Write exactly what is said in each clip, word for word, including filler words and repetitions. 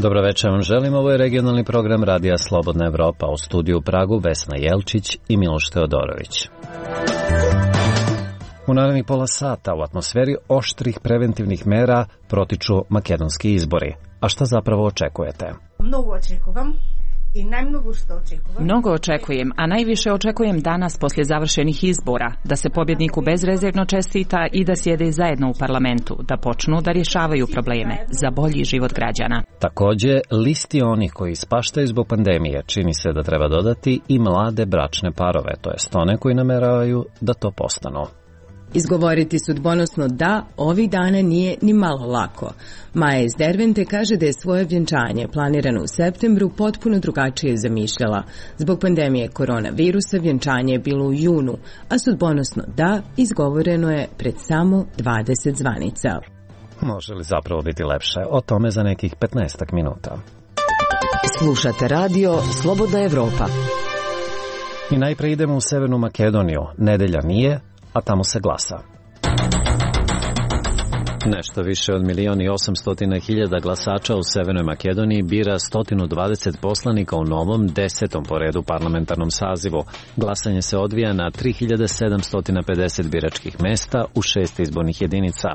Dobro večer vam želim, ovo je regionalni program Radija Slobodna Evropa, u studiju u Pragu Vesna Jelčić i Miloš Teodorović. U narednih pola sata u atmosferi oštrih preventivnih mera protiču makedonski izbori. A šta zapravo očekujete? Mnogo očekujem. I najmnogo što očekujem. Mnogo očekujem, a najviše očekujem danas poslije završenih izbora, da se pobjedniku bezrezervno čestita i da sjede zajedno u parlamentu, da počnu da rješavaju probleme za bolji život građana. Također, listi onih koji ispaštaju zbog pandemije čini se da treba dodati i mlade bračne parove, to jest one koji nameravaju da to postanu. Izgovoriti sudbonosno da ovih dana nije ni malo lako. Maja iz Dervente kaže da je svoje vjenčanje planirano u septembru potpuno drugačije zamišljala. Zbog pandemije koronavirusa vjenčanje je bilo u junu, a sudbonosno da izgovoreno je pred samo dvadeset zvanica. Može li zapravo biti lepše? O tome za nekih petnaestak minuta. Slušate radio Slobodna Evropa. I najprije idemo u Severnu Makedoniju. Nedelja nije, a tamo se glasa. Nešto više od milion i osamstotina hiljada glasača u Severnoj Makedoniji bira sto dvadeset poslanika u novom desetom po redu parlamentarnom sazivu. Glasanje se odvija na tri hiljade sedamsto pedeset biračkih mesta u šest izbornih jedinica.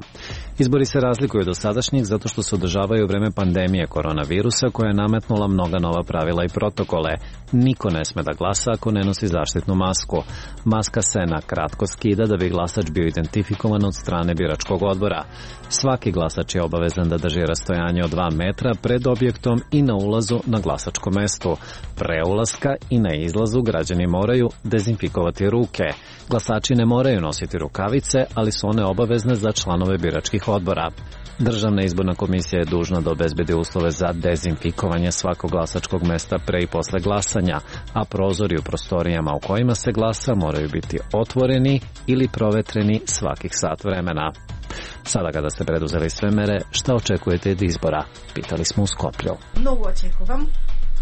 Izbori se razlikuju od dosadašnjih zato što se održavaju u vreme pandemije koronavirusa koja je nametnula mnoga nova pravila i protokole. Niko ne sme da glasa ako ne nosi zaštitnu masku. Maska se na kratko skida da bi glasač bio identifikovan od strane biračkog odbora. Svaki glasač je obavezan da drži rastojanje od dva metra pred objektom i na ulazu na glasačko mesto. Pre ulaska i na izlazu građani moraju dezinfikovati ruke. Glasači ne moraju nositi rukavice, ali su one obavezne za članove biračkih odbora. Državna izborna komisija je dužna da obezbedi uslove za dezinfikovanje svakog glasačkog mesta pre i posle glasanja, a prozori u prostorijama u kojima se glasa moraju biti otvoreni ili provetreni svakih sat vremena. Sada kada ste preduzeli sve mere, šta očekujete od izbora? Pitali smo u Skoplju. Mnogo očekujem.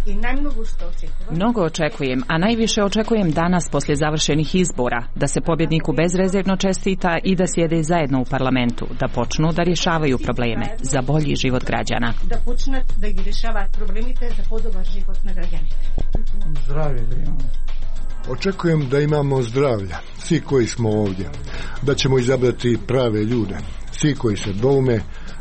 I najmnogo što očekujem. Mnogo očekujem, a najviše očekujem danas poslije završenih izbora, da se pobjedniku bezrezervno čestita i da sjede zajedno u parlamentu, da počnu da rješavaju probleme za bolji život građana. Da počnat da gi rješavati problemite za podobar život na građanite. Zdravlje da imamo. Očekujem da imamo zdravlja, svi koji smo ovdje, da ćemo izabrati prave ljude, svi koji se doume,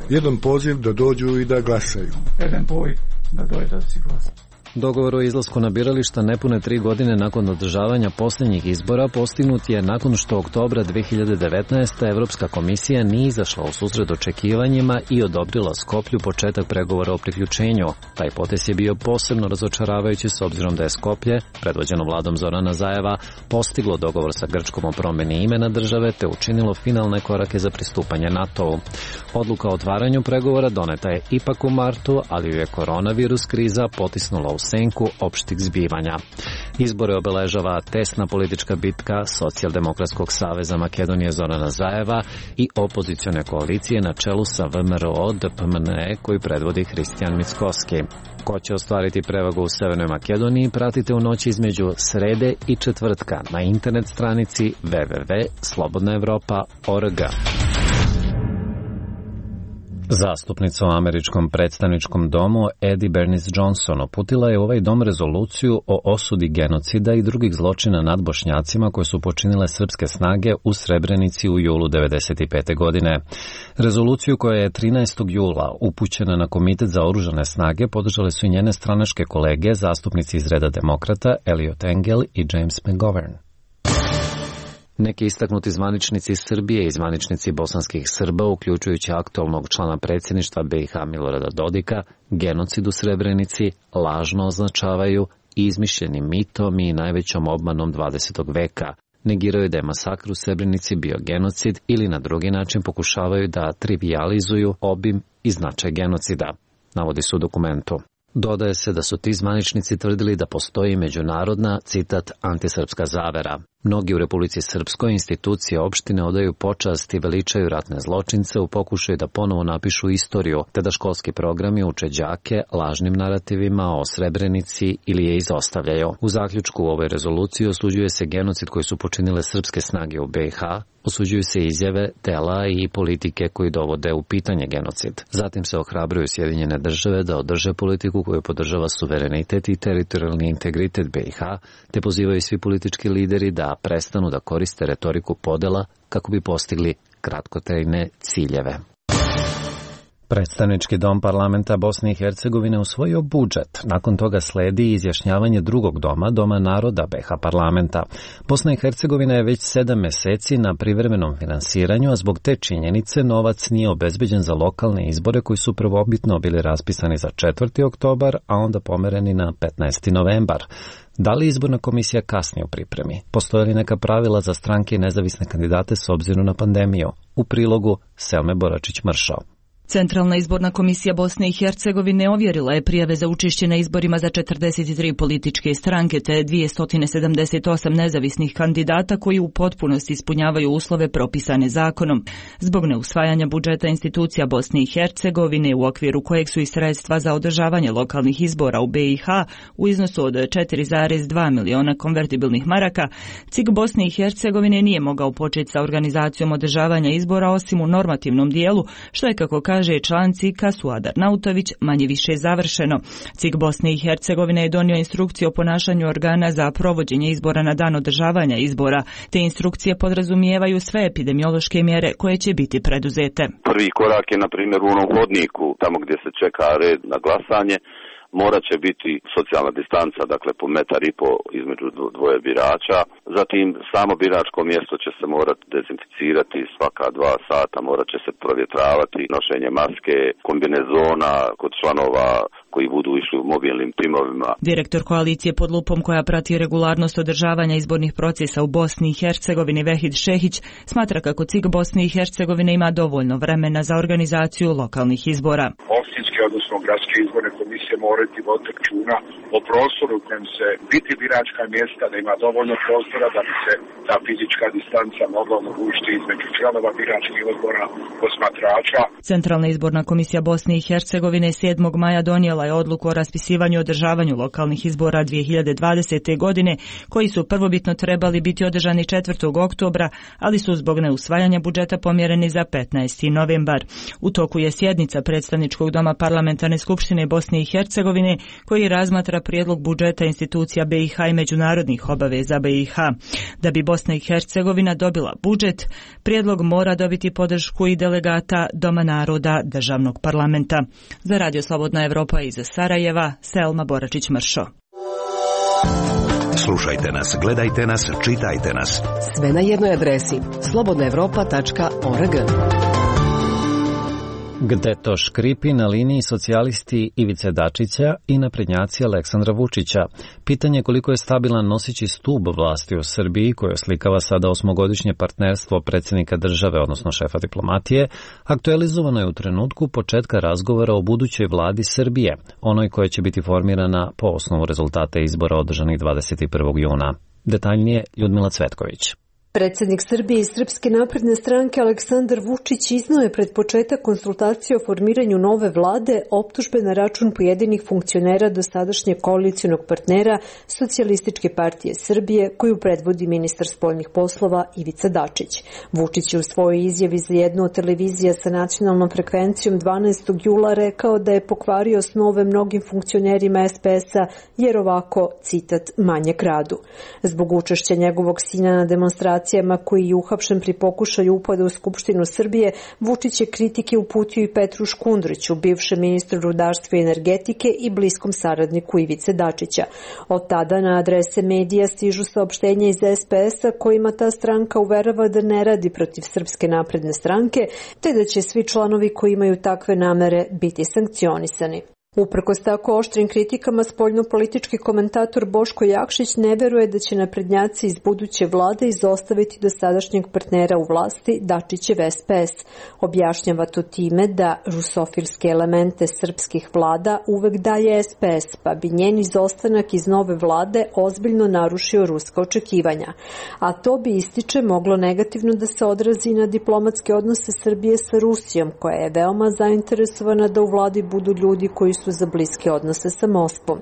jedan poziv da dođu i da glasaju. Jedan poziv da dođe da si glasa. Dogovor o izlasku na birališta nepune tri godine nakon održavanja posljednjih izbora postignut je nakon što oktobra dve hiljade devetnaeste. Evropska komisija nije izašla u susret očekivanjima i odobrila Skoplju početak pregovora o priključenju. Taj potez je bio posebno razočaravajući s obzirom da je Skoplje, predvođeno vladom Zorana Zajeva, postiglo dogovor sa Grčkom o promjeni imena države te učinilo finalne korake za pristupanje NATO-u. Odluka o otvaranju pregovora doneta je ipak u martu, ali ju je koronavirus kriza potisnula u senku opštih zbivanja. Izbore obeležava tesna politička bitka Socijaldemokratskog saveza Makedonije Zorana Zajeva i opozicione koalicije na čelu sa V M R O D P M N E koji predvodi Hristijan Mickoski. Ko će ostvariti prevagu u Severnoj Makedoniji pratite u noći između srede i četvrtka na internet stranici w w w tačka slobodna evropa tačka org. Zastupnica u američkom predstavničkom domu Eddie Bernice Johnson uputila je u ovaj dom rezoluciju o osudi genocida i drugih zločina nad Bošnjacima koje su počinile srpske snage u Srebrenici u julu devedeset pete. godine. Rezoluciju koja je trinaestog jula upućena na Komitet za oružane snage podržale su i njene stranačke kolege, zastupnici iz reda demokrata Eliot Engel i James McGovern. Neki istaknuti zvaničnici Srbije i zvaničnici bosanskih Srba, uključujući aktualnog člana predsjedništva B i H Milorada Dodika, genocid u Srebrenici lažno označavaju izmišljenim mitom i najvećom obmanom dvadesetog veka. Negiraju da je masakr u Srebrenici bio genocid ili na drugi način pokušavaju da trivijalizuju obim i značaj genocida, navodi se u dokumentu. Dodaje se da su ti zvaničnici tvrdili da postoji međunarodna, citat, antisrpska zavera. Mnogi u Republici Srpskoj institucije opštine odaju počast i veličaju ratne zločince u pokušaju da ponovo napišu istoriju, te da školski programi uče đake lažnim narativima o Srebrenici ili je izostavljaju. U zaključku u ovoj rezoluciji osuđuje se genocid koji su počinile srpske snage u B i H, osuđuju se izjave, dela i politike koji dovode u pitanje genocid. Zatim se ohrabruju Sjedinjene države da održe politiku koju podržava suverenitet i teritorijalni integritet B i H, te pozivaju svi politički lideri da prestanu da koriste retoriku podela kako bi postigli kratkotrajne ciljeve. Predstavnički dom parlamenta Bosne i Hercegovine usvojio budžet. Nakon toga sledi izjašnjavanje drugog doma, Doma naroda B H parlamenta. Bosna i Hercegovina je već sedam meseci na privremenom finansiranju, a zbog te činjenice novac nije obezbeđen za lokalne izbore koji su prvobitno bili raspisani za četvrti oktobar, a onda pomereni na petnaesti novembar. Da li izborna komisija kasni u pripremi? Postoje li neka pravila za stranke i nezavisne kandidate s obzirom na pandemiju? U prilogu Selme Boračić-Mršao. Centralna izborna komisija Bosne i Hercegovine ovjerila je prijave za učešće na izborima za četrdeset tri političke stranke te dvjesto sedamdeset osam nezavisnih kandidata koji u potpunosti ispunjavaju uslove propisane zakonom. Zbog neusvajanja budžeta institucija Bosne i Hercegovine u okviru kojeg su i sredstva za održavanje lokalnih izbora u B i H u iznosu od četiri zarez dva miliona konvertibilnih maraka, C I G Bosne i Hercegovine nije mogao početi sa organizacijom održavanja izbora osim u normativnom dijelu, što je, kako kaže Kaže član C I K-a Suadar Nautović, manje više završeno. C I G Bosne i Hercegovine je donio instrukcije o ponašanju organa za provođenje izbora na dan održavanja izbora. Te instrukcije podrazumijevaju sve epidemiološke mjere koje će biti preduzete. Prvi korak je, na primjer, u onom hodniku, tamo gdje se čeka red na glasanje, morat će biti socijalna distanca, dakle po metar i po između dvoje birača. Zatim samo biračko mjesto će se morati dezinficirati svaka dva sata, morat će se provjetravati, nošenje maske, kombinezona kod članova koji budu išli u mobilnim timovima. Direktor koalicije pod lupom koja prati regularnost održavanja izbornih procesa u Bosni i Hercegovini Vehid Šehić smatra kako C I G Bosne i Hercegovine ima dovoljno vremena za organizaciju lokalnih izbora. Opštinske, odnosno gradske izborne komisije morati voditi računa o prostoru u kojem se biti biračka mjesta, da ima dovoljno prostora da bi se ta fizička distanca mogla omogućiti između članova biračkih odbora, posmatrača. Centralna izborna komisija Bosne i Hercegovine sedmog maja donijela je odluku o raspisivanju i održavanju lokalnih izbora dvije hiljade dvadesete. godine, koji su prvobitno trebali biti održani četvrtog oktobra, ali su zbog neusvajanja budžeta pomjereni za petnaesti novembar. U toku je sjednica predstavničkog doma parlamentarne skupštine Bosne i Hercegovine koji razmatra prijedlog budžeta institucija B i H i međunarodnih obaveza B i H. Da bi Bosna i Hercegovina dobila budžet, prijedlog mora dobiti podršku i delegata Doma naroda državnog parlamenta. Za Radio Slobodna Evropa iz Sarajeva, Selma Boračić-Mršo. Slušajte nas, gledajte nas, čitajte nas. Sve na jednoj adresi slobodna evropa tačka org. Gde to škripi na liniji socijalisti Ivice Dačića i naprednjaci Aleksandra Vučića. Pitanje koliko je stabilan noseći stub vlasti u Srbiji, koje oslikava sada osmogodišnje partnerstvo predsjednika države, odnosno šefa diplomatije, aktualizovano je u trenutku početka razgovora o budućoj vladi Srbije, onoj koja će biti formirana po osnovu rezultata izbora održanih dvadeset prvog juna. Detaljnije Ljudmila Cvetković. Predsjednik Srbije i Srpske napredne stranke Aleksandar Vučić iznio je pred početak konsultacije o formiranju nove vlade optužbe na račun pojedinih funkcionera dosadašnjeg koalicionog partnera Socijalističke partije Srbije, koju predvodi ministar spoljnih poslova Ivica Dačić. Vučić je u svojoj izjavi za jednu od televizija sa nacionalnom frekvencijom dvanaestog jula rekao da je pokvario snove mnogim funkcionerima S P S-a jer ovako, citat, manje kradu. Zbog učešća njegovog sina na demonstraciji koji je uhapšen pri pokušaju upada u Skupštinu Srbije, Vučić je kritike uputio i Petru Škundriću, bivšem ministru rudarstva i energetike i bliskom saradniku Ivice Dačića. Od tada na adrese medija stižu saopštenja iz S P S-a kojima ta stranka uverava da ne radi protiv Srpske napredne stranke, te da će svi članovi koji imaju takve namere biti sankcionisani. Uprkos tako oštrim kritikama, spoljnopolitički komentator Boško Jakšić ne veruje da će naprednjaci iz buduće vlade izostaviti dosadašnjeg partnera u vlasti Dačićev S P S. Objašnjava to time da rusofilske elemente srpskih vlada uvek daje S P S, pa bi njen izostanak iz nove vlade ozbiljno narušio ruska očekivanja. A to bi, ističe, moglo negativno da se odrazi na diplomatske odnose Srbije sa Rusijom, koja je veoma zainteresovana da u vladi budu ljudi koji su za bliske odnose sa Moskvom.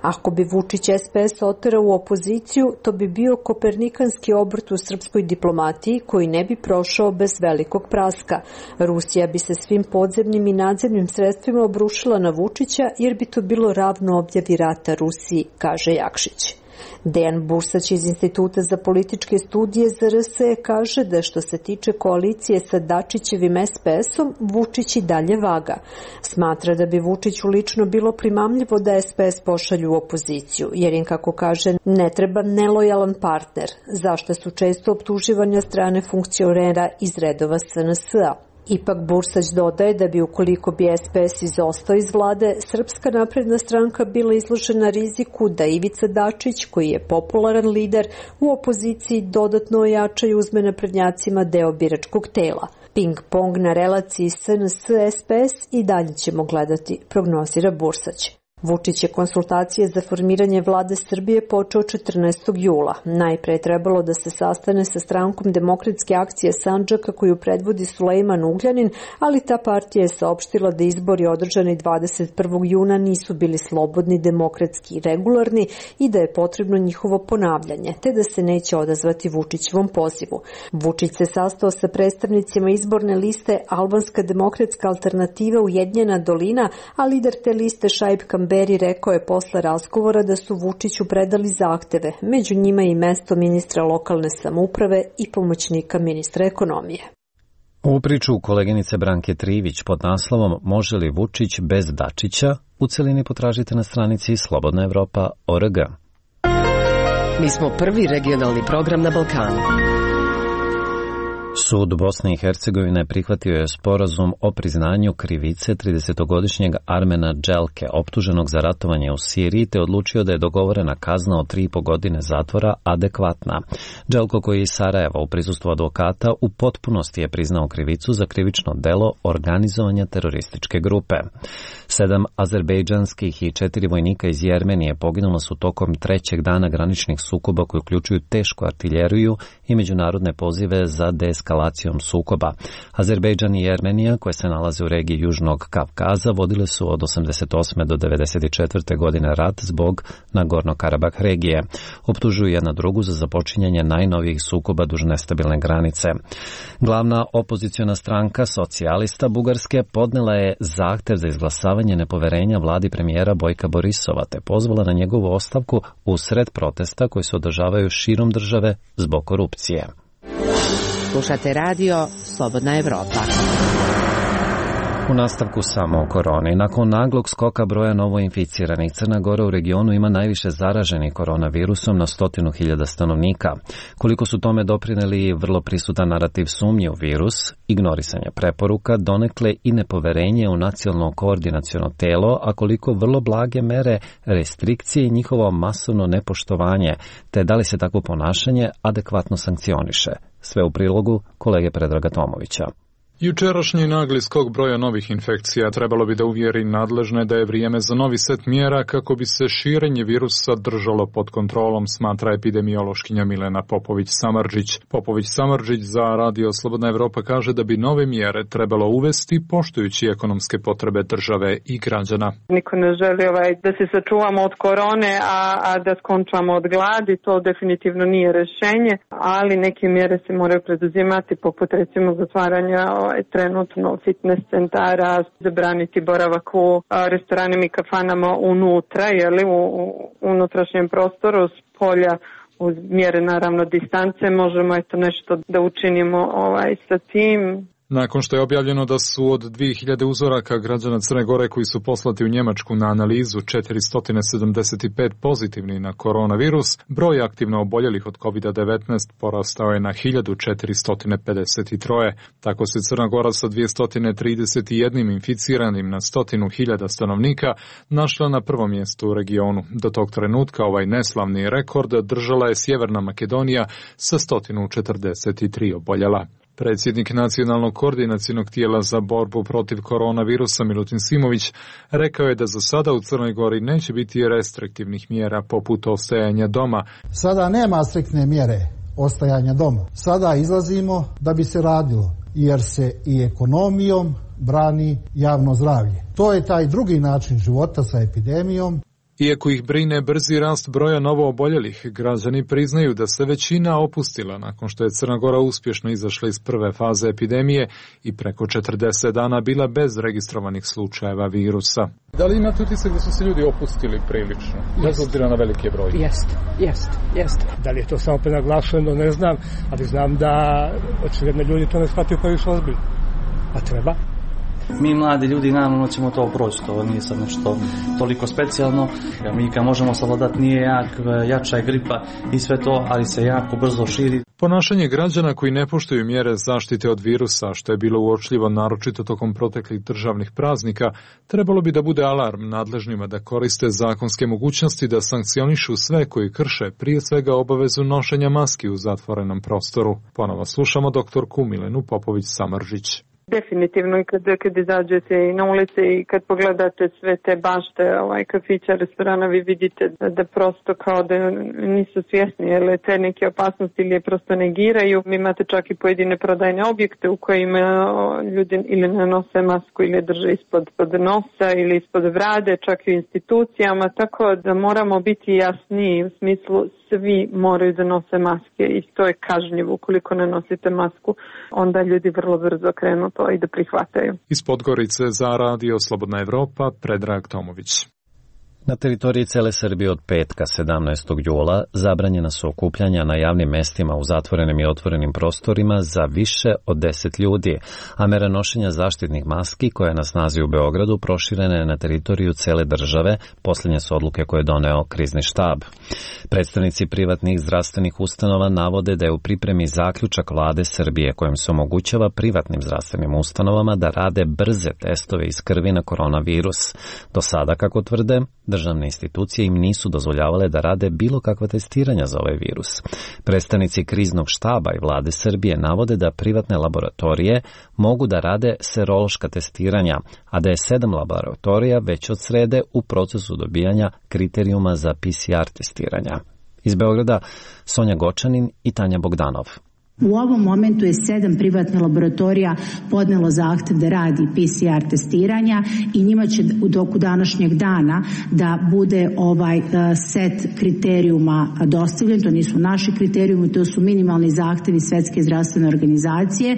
Ako bi Vučić S P S oterao u opoziciju, to bi bio kopernikanski obrt u srpskoj diplomatiji koji ne bi prošao bez velikog praska. Rusija bi se svim podzemnim i nadzemnim sredstvima obrušila na Vučića jer bi to bilo ravno objavi rata Rusiji, kaže Jakšić. Dejan Bursać iz Instituta za političke studije Z R S kaže da što se tiče koalicije sa Dačićevim S P S-om, Vučić i dalje vaga. Smatra da bi Vučiću lično bilo primamljivo da S P S pošalju u opoziciju, jer im, kako kaže, ne treba nelojalan partner, zašto su često optuživanja strane funkcionera iz redova S N S-a. Ipak Bursać dodaje da bi, ukoliko bi S P S izostao iz vlade, Srpska napredna stranka bila izložena riziku da Ivica Dačić, koji je popularan lider, u opoziciji dodatno ojača i uzme naprednjacima deo biračkog tela. Ping-pong na relaciji S N S-S P S i dalje ćemo gledati, prognozira Bursać. Vučić je konsultacije za formiranje vlade Srbije počeo četrnaestog jula. Najpre je trebalo da se sastane sa strankom Demokratske akcije Sandžaka koju predvodi Sulejman Ugljanin, ali ta partija je saopštila da izbori održani dvadeset prvog juna nisu bili slobodni, demokratski i regularni i da je potrebno njihovo ponavljanje, te da se neće odazvati Vučićevom pozivu. Vučić se sastao sa predstavnicima izborne liste Albanska demokratska alternativa Ujedinjena dolina, a lider te liste Šaip Kamberi rekao je posle razgovora da su Vučiću predali zahteve, među njima i mesto ministra lokalne samouprave i pomoćnika ministra ekonomije. U priču koleginice Branke Trivić pod naslovom Može li Vučić bez Dačića? U celini potražite na stranici Slobodna Evropa точка org. Mi smo prvi regionalni program na Balkanu. Sud Bosne i Hercegovine prihvatio je sporazum o priznanju krivice tridesetogodišnjeg Armena Dželke, optuženog za ratovanje u Siriji, te odlučio da je dogovorena kazna od tri i po godine zatvora adekvatna. Dželko, koji je iz Sarajeva u prisustvu advokata, u potpunosti je priznao krivicu za krivično delo organizovanja terorističke grupe. Sedam azerbejdžanskih i četiri vojnika iz Jermenije poginula su tokom trećeg dana graničnih sukoba koji uključuju tešku artiljeriju i međunarodne pozive za deeskalacijom sukoba. Azerbejdžan i Jermenija, koje se nalaze u regiji Južnog Kavkaza, vodile su od osamdeset osme do devedeset četvrte godine rat zbog Nagorno-Karabah regije. Optužuju jedna drugu za započinjanje najnovijih sukoba duž nestabilne granice. Glavna opoziciona stranka Socijalista Bugarske podnela je zahtev za izglasavanje nepoverenja vladi premijera Bojka Borisova, te pozvala na njegovu ostavku usred protesta koji se održavaju širom države zbog korupcije. Slušate radio Slobodna Evropa. U nastavku samo o koroni. Nakon naglog skoka broja novoinficiranih, Crna Gora u regionu ima najviše zaraženih koronavirusom na stotinu hiljada stanovnika. Koliko su tome doprineli vrlo prisutan narativ sumnje u virus, ignorisanje preporuka, donekle i nepoverenje u nacionalno koordinaciono telo, a koliko vrlo blage mere, restrikcije i njihovo masovno nepoštovanje, te da li se takvo ponašanje adekvatno sankcioniše. Sve u prilogu kolege Predraga Tomovića. Jučerašnji nagli skok broja novih infekcija trebalo bi da uvjeri nadležne da je vrijeme za novi set mjera kako bi se širenje virusa držalo pod kontrolom, smatra epidemiološkinja Milena Popović-Samardžić. Popović-Samardžić za Radio Slobodna Evropa kaže da bi nove mjere trebalo uvesti poštujući ekonomske potrebe države i građana. Niko ne želi ovaj, da se sačuvamo od korone, a, a da skončamo od gladi, to definitivno nije rješenje, ali neke mjere se moraju preduzimati, poput recimo zatvaranja trenutno fitness centara, zabraniti boravak u restoranima i kafanama unutra, jeli, u, u unutrašnjem prostoru, s polja, uz mjere naravno distance, možemo eto nešto da učinimo ovaj, sa tim. Nakon što je objavljeno da su od dvije hiljade uzoraka građana Crne Gore koji su poslati u Njemačku na analizu četiristo sedamdeset pet pozitivni na koronavirus, broj aktivno oboljelih od kovid devetnaest porastao je na hiljadu četiristo pedeset tri. Tako se Crna Gora sa dvjesto trideset jedan inficiranim na stotinu hiljada stanovnika našla na prvom mjestu u regionu. Do tog trenutka ovaj neslavni rekord držala je Sjeverna Makedonija sa sto četrdeset tri oboljela. Predsjednik Nacionalnog koordinacionog tijela za borbu protiv koronavirusa Milutin Simović rekao je da za sada u Crnoj Gori neće biti restriktivnih mjera poput ostajanja doma. Sada nema striktne mjere ostajanja doma. Sada izlazimo da bi se radilo, jer se i ekonomijom brani javno zdravlje. To je taj drugi način života sa epidemijom. Iako ih brine brzi rast broja novooboljelih, građani priznaju da se većina opustila nakon što je Crna Gora uspješno izašla iz prve faze epidemije i preko četrdeset dana bila bez registrovanih slučajeva virusa. Da li imate utisak da su se ljudi opustili prilično, bez obzira na velike broje? Jeste, jeste, jeste. Da li je to samo prenaglašeno, ne znam, ali znam da očigledno ljudi to ne shvataju previše ozbiljno. A treba? Mi mladi ljudi naravno ćemo to proći, to nije sad nešto toliko specijalno. Mi kad možemo savladati nije jak, jača je gripa i sve to, ali se jako brzo širi. Ponašanje građana koji ne poštuju mjere zaštite od virusa, što je bilo uočljivo naročito tokom proteklih državnih praznika, trebalo bi da bude alarm nadležnima da koriste zakonske mogućnosti da sankcionišu sve koji krše, prije svega obavezu nošenja maski u zatvorenom prostoru. Ponovo slušamo doktorku Milenu Popović-Samržić. Definitivno i kad, kad izađete i na ulice i kad pogledate sve te bašte, ovaj, kafića, restorana, vi vidite da, da prosto kao da nisu svjesni, jer te neke opasnosti ili je prosto negiraju. Vi imate čak i pojedine prodajne objekte u kojima ljudi ili ne nose masku ili drže ispod pod nosa ili ispod brade, čak i u institucijama, tako da moramo biti jasniji u smislu svi moraju da nose maske i to je kažnjivo. Ukoliko ne nosite masku, onda ljudi vrlo brzo krenu to i da prihvataju. Iz Podgorice za Radio Slobodna Evropa, Predrag Tomović. Na teritoriji cele Srbije od petka sedamnaestog jula zabranjena su okupljanja na javnim mestima u zatvorenim i otvorenim prostorima za više od deset ljudi, a mera nošenja zaštitnih maski koja je na snazi u Beogradu proširena je na teritoriju cele države. Posljednje su odluke koje je doneo krizni štab. Predstavnici privatnih zdravstvenih ustanova navode da je u pripremi zaključak vlade Srbije kojim se omogućava privatnim zdravstvenim ustanovama da rade brze testove iz krvi na koronavirus. Do sada, kako tvrde, državne institucije im nisu dozvoljavale da rade bilo kakva testiranja za ovaj virus. Predstavnici kriznog štaba i vlade Srbije navode da privatne laboratorije mogu da rade serološka testiranja, a da je sedam laboratorija već od srede u procesu dobijanja kriterijuma za P C R testiranja. Iz Beograda Sonja Gočanin i Tanja Bogdanov. U ovom momentu je sedam privatnih laboratorija podnelo zahtev da radi P C R testiranja i njima će u toku današnjeg dana da bude ovaj set kriterijuma dostavljen. To nisu naši kriterijumi, to su minimalni zahtevi Svetske zdravstvene organizacije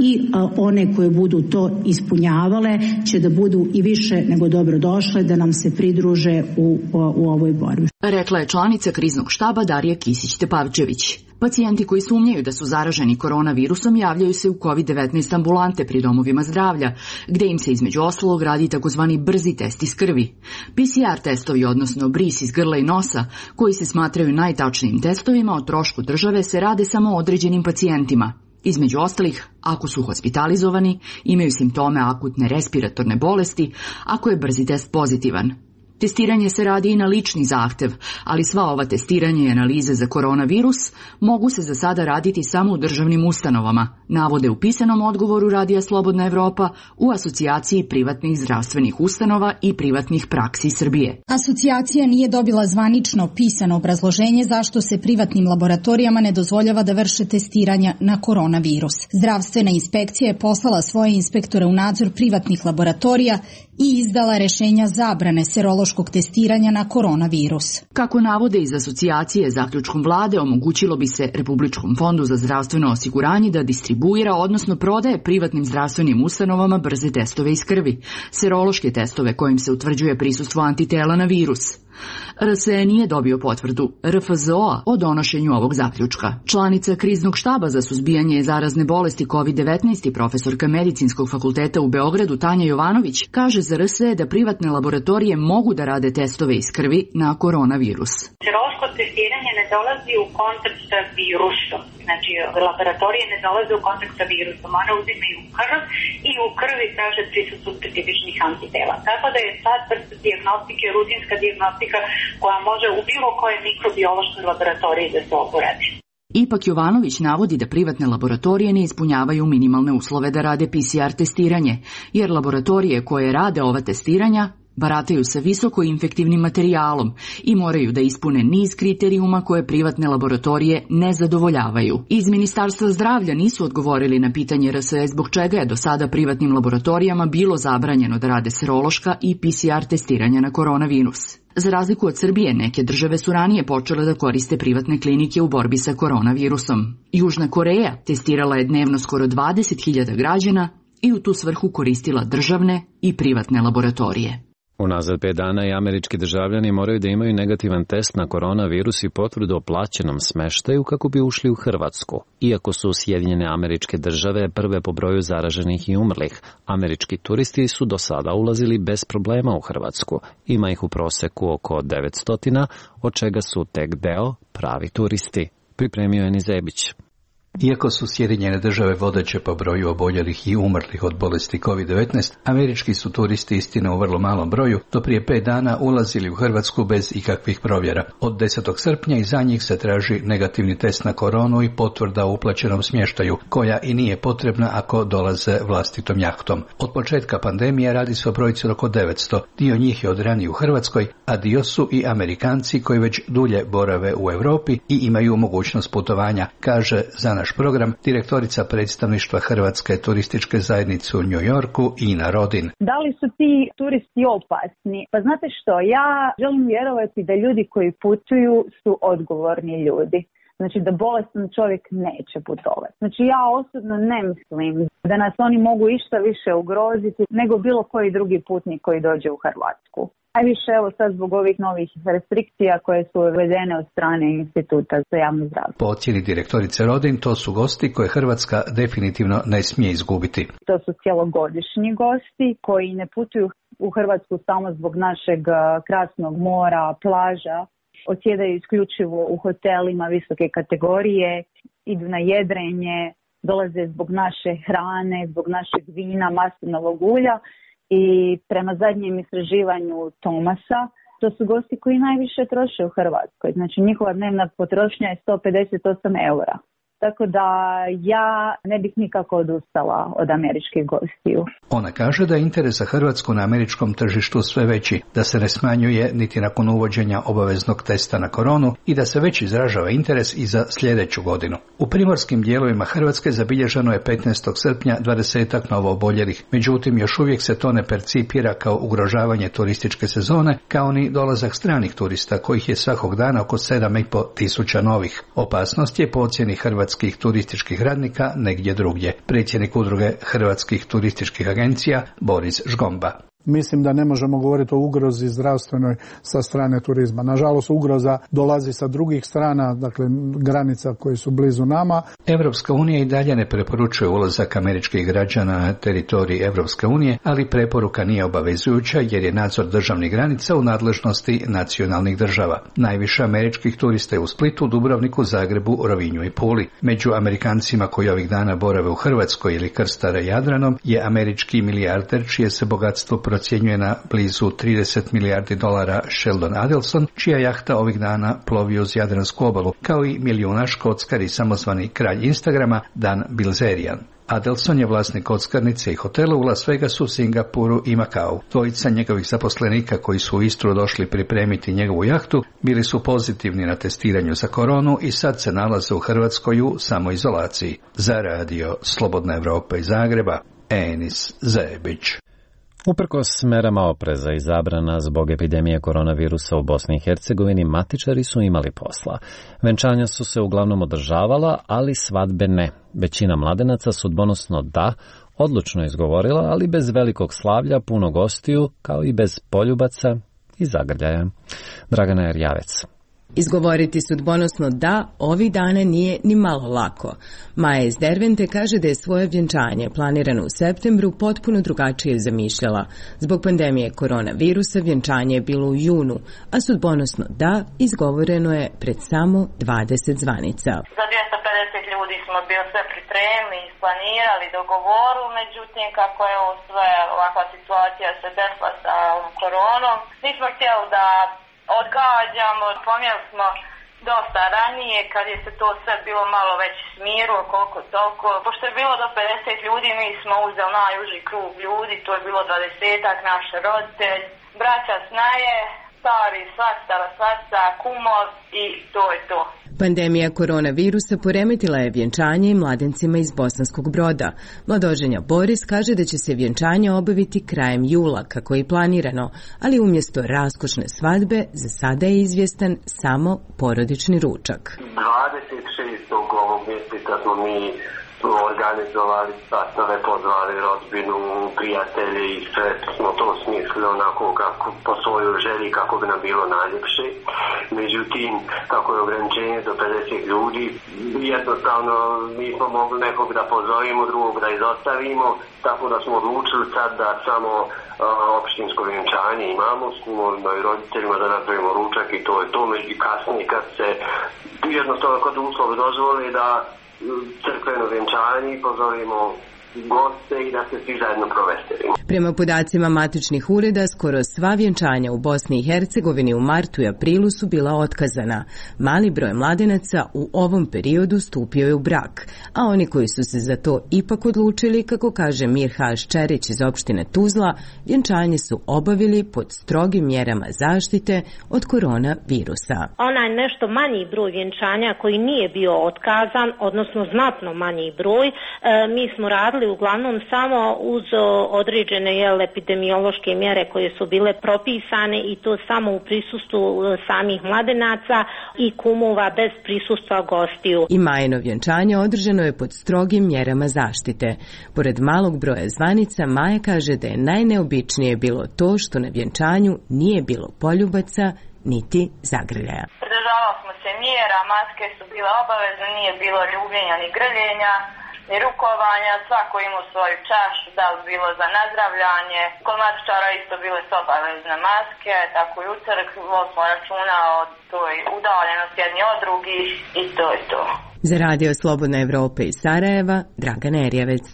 i one koje budu to ispunjavale će da budu i više nego dobro došle da nam se pridruže u, u ovoj borbi. Rekla je članica kriznog štaba Darija Kisić-Tepavčević. Pacijenti koji sumnjaju da su zaraženi koronavirusom javljaju se u kovid devetnaest ambulante pri domovima zdravlja, gde im se između ostalog radi takozvani brzi test iz krvi. P C R testovi, odnosno bris iz grla i nosa, koji se smatraju najtačnijim testovima o trošku države, se rade samo određenim pacijentima. Između ostalih, ako su hospitalizovani, imaju simptome akutne respiratorne bolesti, ako je brzi test pozitivan. Testiranje se radi i na lični zahtev, ali sva ova testiranja i analize za koronavirus mogu se za sada raditi samo u državnim ustanovama, navode u pisanom odgovoru Radija Slobodna Evropa u Asocijaciji privatnih zdravstvenih ustanova i privatnih praksi Srbije. Asocijacija nije dobila zvanično pisano obrazloženje zašto se privatnim laboratorijama ne dozvoljava da vrše testiranja na koronavirus. Zdravstvena inspekcija je poslala svoje inspektore u nadzor privatnih laboratorija i izdala rešenja zabrane serološkog testiranja na koronavirus. Kako navode iz asocijacije, zaključkom vlade omogućilo bi se Republičkom fondu za zdravstveno osiguranje da distribuira, odnosno prodaje privatnim zdravstvenim ustanovama brze testove iz krvi, serološke testove kojim se utvrđuje prisustvo antitela na virus. R S E nije dobio potvrdu R F Z O-a o donošenju ovog zaključka. Članica kriznog štaba za suzbijanje zarazne bolesti kovid devetnaest i profesorka Medicinskog fakulteta u Beogradu Tanja Jovanović kaže za R S E da privatne laboratorije mogu da rade testove iz krvi na koronavirus. Serološko testiranje ne dolazi u kontakt sa virusom. Znači, laboratorije ne dolaze u kontakt sa virusom. One uzimaju krv i u krvi traže prisutnost specifičnih antitela. Tako da je sad vrsta dijagnostike, rutinska dijagnostika koja može u bilo kojoj mikrobiološkoj laboratoriji da se oporadi. Ipak Jovanović navodi da privatne laboratorije ne ispunjavaju minimalne uslove da rade P C R testiranje, jer laboratorije koje rade ova testiranja barataju sa visoko infektivnim materijalom i moraju da ispune niz kriterijuma koje privatne laboratorije ne zadovoljavaju. Iz Ministarstva zdravlja nisu odgovorili na pitanje R S E zbog čega je do sada privatnim laboratorijama bilo zabranjeno da rade serološka i P C R testiranja na koronavirus. Za razliku od Srbije, neke države su ranije počele da koriste privatne klinike u borbi sa koronavirusom. Južna Koreja testirala je dnevno skoro dvadeset hiljada građana i u tu svrhu koristila državne i privatne laboratorije. Unazad pet dana i američki državljani moraju da imaju negativan test na koronavirus i potvrdu o plaćenom smeštaju kako bi ušli u Hrvatsku. Iako su Sjedinjene Američke Države prve po broju zaraženih i umrlih, američki turisti su do sada ulazili bez problema u Hrvatsku. Ima ih u proseku oko devetsto, od čega su tek deo pravi turisti. Pripremio je Nizebić. Iako su Sjedinjene Države vodeće po broju oboljelih i umrlih od bolesti kovid devetnaest, američki su turisti istina u vrlo malom broju do prije pet dana ulazili u Hrvatsku bez ikakvih provjera. Od desetog srpnja i za njih se traži negativni test na koronu i potvrda o uplaćenom smještaju, koja i nije potrebna ako dolaze vlastitom jahtom. Od početka pandemije radi se o brojci od oko devetsto, dio njih je od ranije u Hrvatskoj, a dio su i Amerikanci koji već dulje borave u Europi i imaju mogućnost putovanja, kaže za naš program direktorica predstavništva Hrvatske turističke zajednice u New Yorku Ina Rodin. Da li su ti turisti opasni? Pa znate što, ja želim vjerovati da ljudi koji putuju su odgovorni ljudi. Znači da bolestan čovjek neće putovati. Znači ja osobno ne mislim da nas oni mogu išta više ugroziti nego bilo koji drugi putnik koji dođe u Hrvatsku. Najviše evo sad zbog ovih novih restrikcija koje su uvedene od strane Instituta za javno zdravlje. Po ocjeni direktorice Rodin, to su gosti koje Hrvatska definitivno ne smije izgubiti. To su cjelogodišnji gosti koji ne putuju u Hrvatsku samo zbog našeg krasnog mora, plaža, odsjedaju isključivo u hotelima visoke kategorije, idu na jedrenje, dolaze zbog naše hrane, zbog našeg vina, maslinovog ulja. I prema zadnjem istraživanju Tomasa, to su gosti koji najviše troše u Hrvatskoj. Znači njihova dnevna potrošnja je sto pedeset osam eura. Tako da ja ne bih nikako odustala od američkih gostiju. Ona kaže da je interes za Hrvatsku na američkom tržištu sve veći, da se ne smanjuje niti nakon uvođenja obaveznog testa na koronu i da se već izražava interes i za sljedeću godinu. U primorskim dijelovima Hrvatske zabilježeno je petnaestog srpnja dvadesetak novo oboljelih, međutim još uvijek se to ne percipira kao ugrožavanje turističke sezone, kao ni dolazak stranih turista kojih je svakog dana oko sedam i pol tisuća novih. Opasnost je po ocjeni Hrvatske hrvatskih turističkih radnika negdje drugdje. Predsjednik udruge hrvatskih turističkih agencija Boris Žgomba. Mislim da ne možemo govoriti o ugrozi zdravstvenoj sa strane turizma. Nažalost, ugroza dolazi sa drugih strana, dakle granica koje su blizu nama. Evropska unija i dalje ne preporučuje ulazak američkih građana na teritoriji Evropske unije, ali preporuka nije obavezujuća jer je nadzor državnih granica u nadležnosti nacionalnih država. Najviše američkih turista je u Splitu, Dubrovniku, Zagrebu, Rovinju i Puli. Među Amerikancima koji ovih dana borave u Hrvatskoj ili krstare Jadranom je američki milijarder čije se bogatstvo procjenjuje na blizu trideset milijardi dolara Sheldon Adelson, čija jahta ovih dana plovi uz Jadransku obalu, kao i milijunaš kockar i samozvani kralj Instagrama Dan Bilzerian. Adelson je vlasnik kockarnice i hotela u Las Vegasu, Singapuru i Makau. Dvojica njegovih zaposlenika koji su u Istru došli pripremiti njegovu jahtu bili su pozitivni na testiranju za koronu i sad se nalaze u Hrvatskoj u samoizolaciji. Za radio Slobodna Evropa iz Zagreba, Enis Zebić. Uprkos merama opreza i zabrana zbog epidemije koronavirusa u Bosni i Hercegovini, matičari su imali posla. Venčanja su se uglavnom održavala, ali svadbe ne. Većina mladenaca sudbonosno da, odlučno izgovorila, ali bez velikog slavlja, puno gostiju, kao i bez poljubaca iz Zagrljaja. Dragana Erjavec. Izgovoriti sudbonosno da ovih dana nije ni malo lako. Maja iz Dervente kaže da je svoje vjenčanje planirano u septembru potpuno drugačije zamišljala. Zbog pandemije koronavirusa vjenčanje je bilo u junu, a sudbonosno da izgovoreno je pred samo dvadeset zvanica. Za dvjesto pedeset ljudi smo bili sve pripremili, isplanirali, dogovorili, međutim kako je ovo sve ovakva situacija se desila sa koronom, nismo htjeli da odgađamo, pomjeli smo dosta ranije kad je se to sve bilo malo već smirilo koliko toliko. Pošto je bilo do pedeset ljudi, mi smo uzeli najuži krug ljudi, to je bilo dvadesetak, naš roditelj, braća snaje, stari, svastara, svasta, kumov i to je to. Pandemija koronavirusa poremetila je vjenčanje i mladencima iz Bosanskog Broda. Mladoženja Boris kaže da će se vjenčanje obaviti krajem jula, kako je planirano, ali umjesto raskošne svadbe za sada je izvjestan samo porodični ručak. dvadeset šestog ovog mjeseca smo mi organizovali sastave, pozvali rodbinu, prijatelje i sve smo to smislili onako kako, po svojoj želji kako bi nam bilo najljepše. Međutim, kako je ograničenje do pedeset ljudi, jednostavno nismo mogli nekog da pozovimo, drugog da izostavimo, tako da smo odlučili sad da samo uh, opštinsko vjenčanje imamo s kumovima i roditeljima, da napravimo ručak i to je to. Među kasnije kad se jednostavno kod uslovi dozvoli da crkveno vjenčanje i pozovimo goste i da se svi zajedno proveselimo. Prema podacima matičnih ureda, skoro sva vjenčanja u Bosni i Hercegovini u martu i aprilu su bila otkazana. Mali broj mladenaca u ovom periodu stupio je u brak, a oni koji su se za to ipak odlučili, kako kaže Mirha Ščerić iz opštine Tuzla, vjenčanje su obavili pod strogim mjerama zaštite od koronavirusa. Onaj nešto manji broj vjenčanja koji nije bio otkazan, odnosno znatno manji broj, e, mi smo radili uglavnom samo uz određene jel, epidemiološke mjere koje su bile propisane i to samo u prisustvu samih mladenaca i kumova bez prisustva gostiju. I Majino vjenčanje održano je pod strogim mjerama zaštite. Pored malog broja zvanica, Maja kaže da je najneobičnije bilo to što na vjenčanju nije bilo poljubaca niti zagrljaja. Pridržavali smo se mjera, maske su bile obavezne, nije bilo ljubljenja ni grljenja i rukovanja, svako imao svoju čašu, da li bilo za nazdravljanje. Kod matičara isto bile su obavezne maske, tako i u crkvi smo računa od toj udaljenosti jedni od drugih i to je to. Za Radio Slobodna Evropa iz Sarajeva, Dragana Erjavec.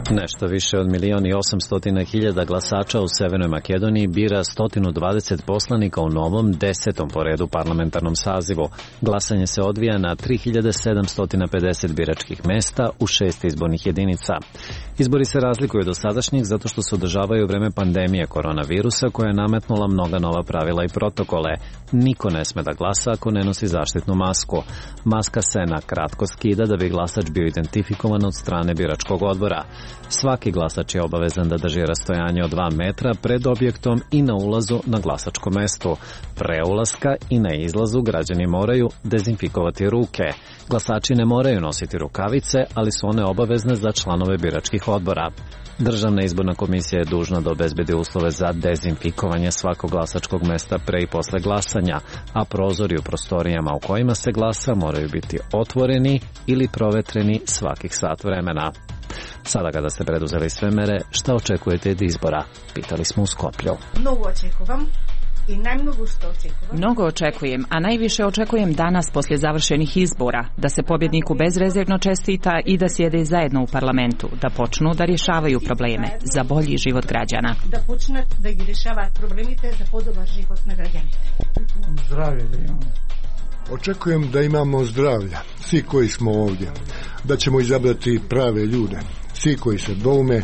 Nešto više od milion i osamstotina hiljada glasača u Severnoj Makedoniji bira sto dvadeset poslanika u novom desetom po redu parlamentarnom sazivu. Glasanje se odvija na tri hiljade sedamsto pedeset biračkih mesta u šest izbornih jedinica. Izbori se razlikuju do sadašnjih zato što se održavaju u vreme pandemije koronavirusa koja je nametnula mnoga nova pravila i protokole. Niko ne sme da glasa ako ne nosi zaštitnu masku. Maska se na kratko skida da bi glasač bio identifikovan od strane biračkog odbora. Svaki glasač je obavezan da drži rastojanje od dva metra pred objektom i na ulazu na glasačko mesto. Pre ulaska i na izlazu građani moraju dezinfikovati ruke. Glasači ne moraju nositi rukavice, ali su one obavezne za članove biračkih odbora. Državna izborna komisija je dužna da obezbedi uslove za dezinfikovanje svakog glasačkog mesta pre i posle glasanja, a prozori u prostorijama u kojima se glasa moraju biti otvoreni ili provetreni svakih sat vremena. Sada kada ste preduzeli sve mere, šta očekujete od izbora? Pitali smo u Skoplju. Mnogo očekujem i najmnogo što očekujem. Mnogo očekujem, a najviše očekujem danas poslije završenih izbora, da se pobjedniku bezrezervno čestita i da sjede zajedno u parlamentu, da počnu da rješavaju probleme za bolji život građana. Da počnu da ih rješavaju problemite za podoban život na građanite. Zdravlje da imamo. Očekujem da imamo zdravlja, svi koji smo ovdje, da ćemo izabrati prave ljude, svi koji se doume,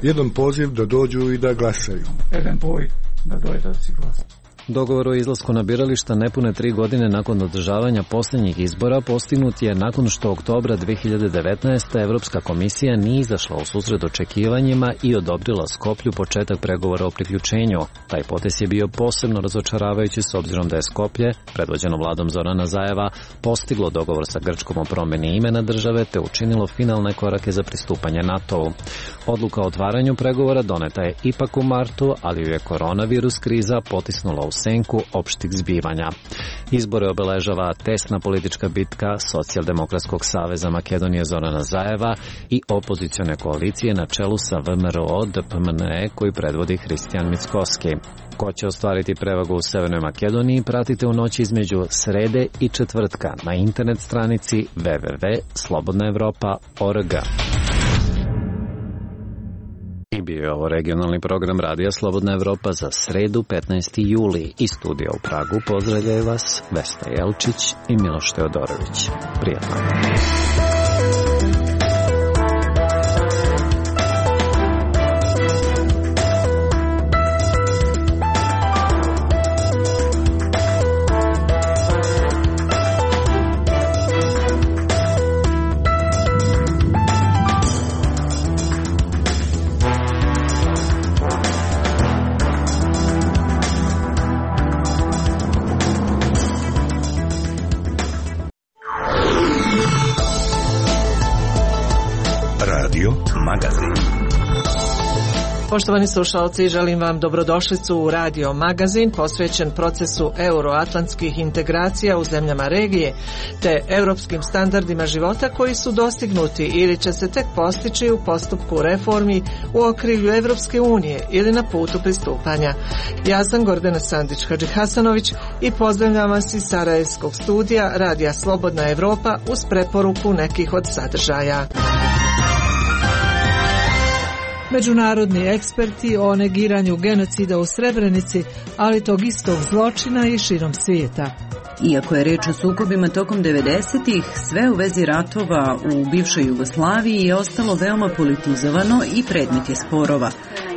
jedan poziv da dođu i da glasaju. Jedan boj da dođe da si glasa. Dogovor o izlasku na birališta nepune tri godine nakon održavanja posljednjih izbora postignut je nakon što oktobra dve hiljade devetnaeste. Evropska komisija nije izašla u susret očekivanjima i odobrila Skoplju početak pregovora o priključenju. Taj potez je bio posebno razočaravajući s obzirom da je Skoplje, predvođeno vladom Zorana Zajeva, postiglo dogovor sa Grčkom o promjeni imena države te učinilo finalne korake za pristupanje NATO-u. Odluka o otvaranju pregovora doneta je ipak u martu, ali ju je koronavirus kriza potisnula u senku opštih zbivanja. Izbore obeležava tesna politička bitka Socijaldemokratskog saveza Makedonije Zorana Zajeva i opozicione koalicije na čelu sa V M R O D P M N E koji predvodi Hristijan Mickoski. Ko će ostvariti prevagu u Severnoj Makedoniji pratite u noći između srede i četvrtka na internet stranici w w w tačka slobodna evropa tačka org. I bio je ovo regionalni program Radija Slobodna Evropa za sredu petnaesti juli. Iz studija u Pragu pozdravljaju vas Vesna Jelčić i Miloš Teodorović. Prijatno. Poštovani slušalci, želim vam dobrodošlicu u Radio Magazin posvećen procesu euroatlantskih integracija u zemljama regije te europskim standardima života koji su dostignuti ili će se tek postići u postupku reformi u okrilju Evropske unije ili na putu pristupanja. Ja sam Gordana Sandić-Hadžihasanović i pozdravljam vas iz Sarajevskog studija Radija Slobodna Evropa uz preporuku nekih od sadržaja. Međunarodni eksperti o negiranju genocida u Srebrenici, ali tog istog zločina i širom svijeta. Iako je reč o sukobima tokom devedesetih, sve u vezi ratova u bivšoj Jugoslaviji je ostalo veoma politizovano i predmet je sporova.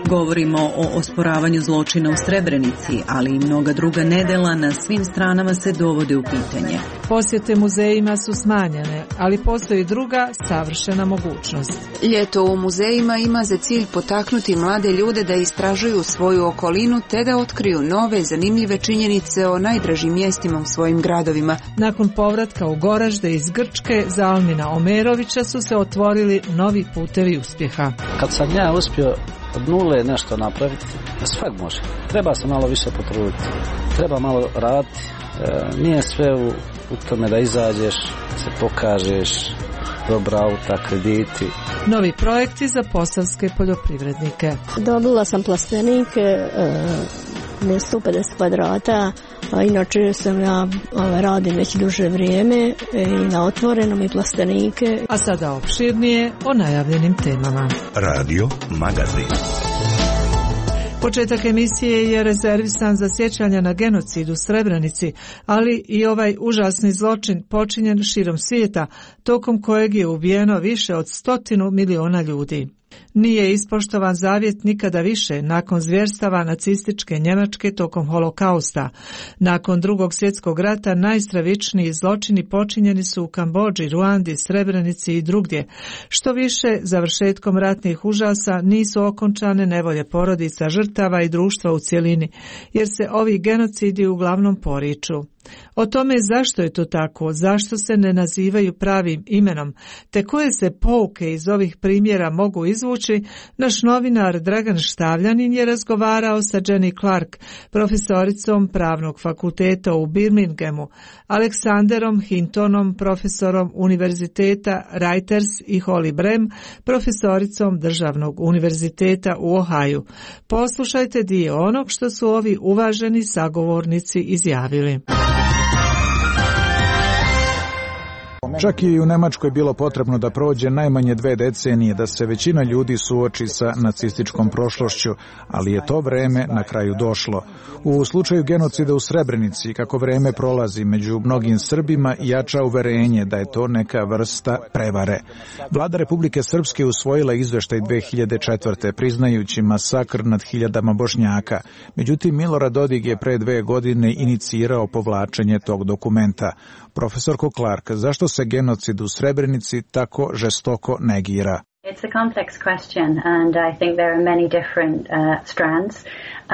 Govorimo o osporavanju zločina u Srebrenici, ali i mnoga druga nedela na svim stranama se dovode u pitanje. Posjete muzejima su smanjene, ali postoji druga savršena mogućnost. Ljeto u muzejima ima za cilj potaknuti mlade ljude da istražuju svoju okolinu te da otkriju nove zanimljive činjenice o najdražim mjestima u svojim gradovima. Nakon povratka u Goražde iz Grčke za Almina Omerovića su se otvorili novi putevi uspjeha. Kad sam ja uspio od nule nešto napraviti, svak može. Treba se malo više potruditi. Treba malo raditi. E, nije sve u, u tome da izađeš, se pokažeš, dobra auta, krediti. Novi projekti za posavske poljoprivrednike. Dobila sam plastenike, e, sto pedeset kvadrata, a inače sam ja ove, radim već duže vrijeme e, i na otvorenom i plastenike. A sada opširnije o najavljenim temama. Radio Magazin. Početak emisije je rezervisan za sjećanja na genocid u Srebrenici, ali i ovaj užasni zločin počinjen širom svijeta, tokom kojeg je ubijeno više od stotinu miliona ljudi. Nije ispoštovan zavjet nikada više nakon zvjerstava nacističke Njemačke tokom holokausta. Nakon drugog svjetskog rata najstravičniji zločini počinjeni su u Kambodži, Ruandi, Srebrenici i drugdje. Što više, završetkom ratnih užasa nisu okončane nevolje porodica, žrtava i društva u cjelini, jer se ovi genocidi uglavnom poriču. O tome zašto je to tako, zašto se ne nazivaju pravim imenom, te koje se pouke iz ovih primjera mogu izvući, naš novinar Dragan Štavljanin je razgovarao sa Jenny Clark, profesoricom Pravnog fakulteta u Birminghamu, Aleksanderom Hintonom, profesorom Univerziteta Reuters i Holly Brem, profesoricom Državnog univerziteta u Ohaju. Poslušajte dio onog što su ovi uvaženi sagovornici izjavili. Čak i u Nemačkoj bilo potrebno da prođe najmanje dve decenije da se većina ljudi suoči sa nacističkom prošlošću, ali je to vreme na kraju došlo. U slučaju genocida u Srebrenici, kako vreme prolazi, među mnogim Srbima jača uverenje da je to neka vrsta prevare. Vlada Republike Srpske usvojila izveštaj dve hiljade četvrte priznajući masakr nad hiljadama Bošnjaka. Međutim, Milorad Dodik je pre dve godine inicirao povlačenje tog dokumenta. Profesorko Clark, zašto se genocid u Srebrenici tako žestoko negira? It's a complex question and I think there are many different uh, strands.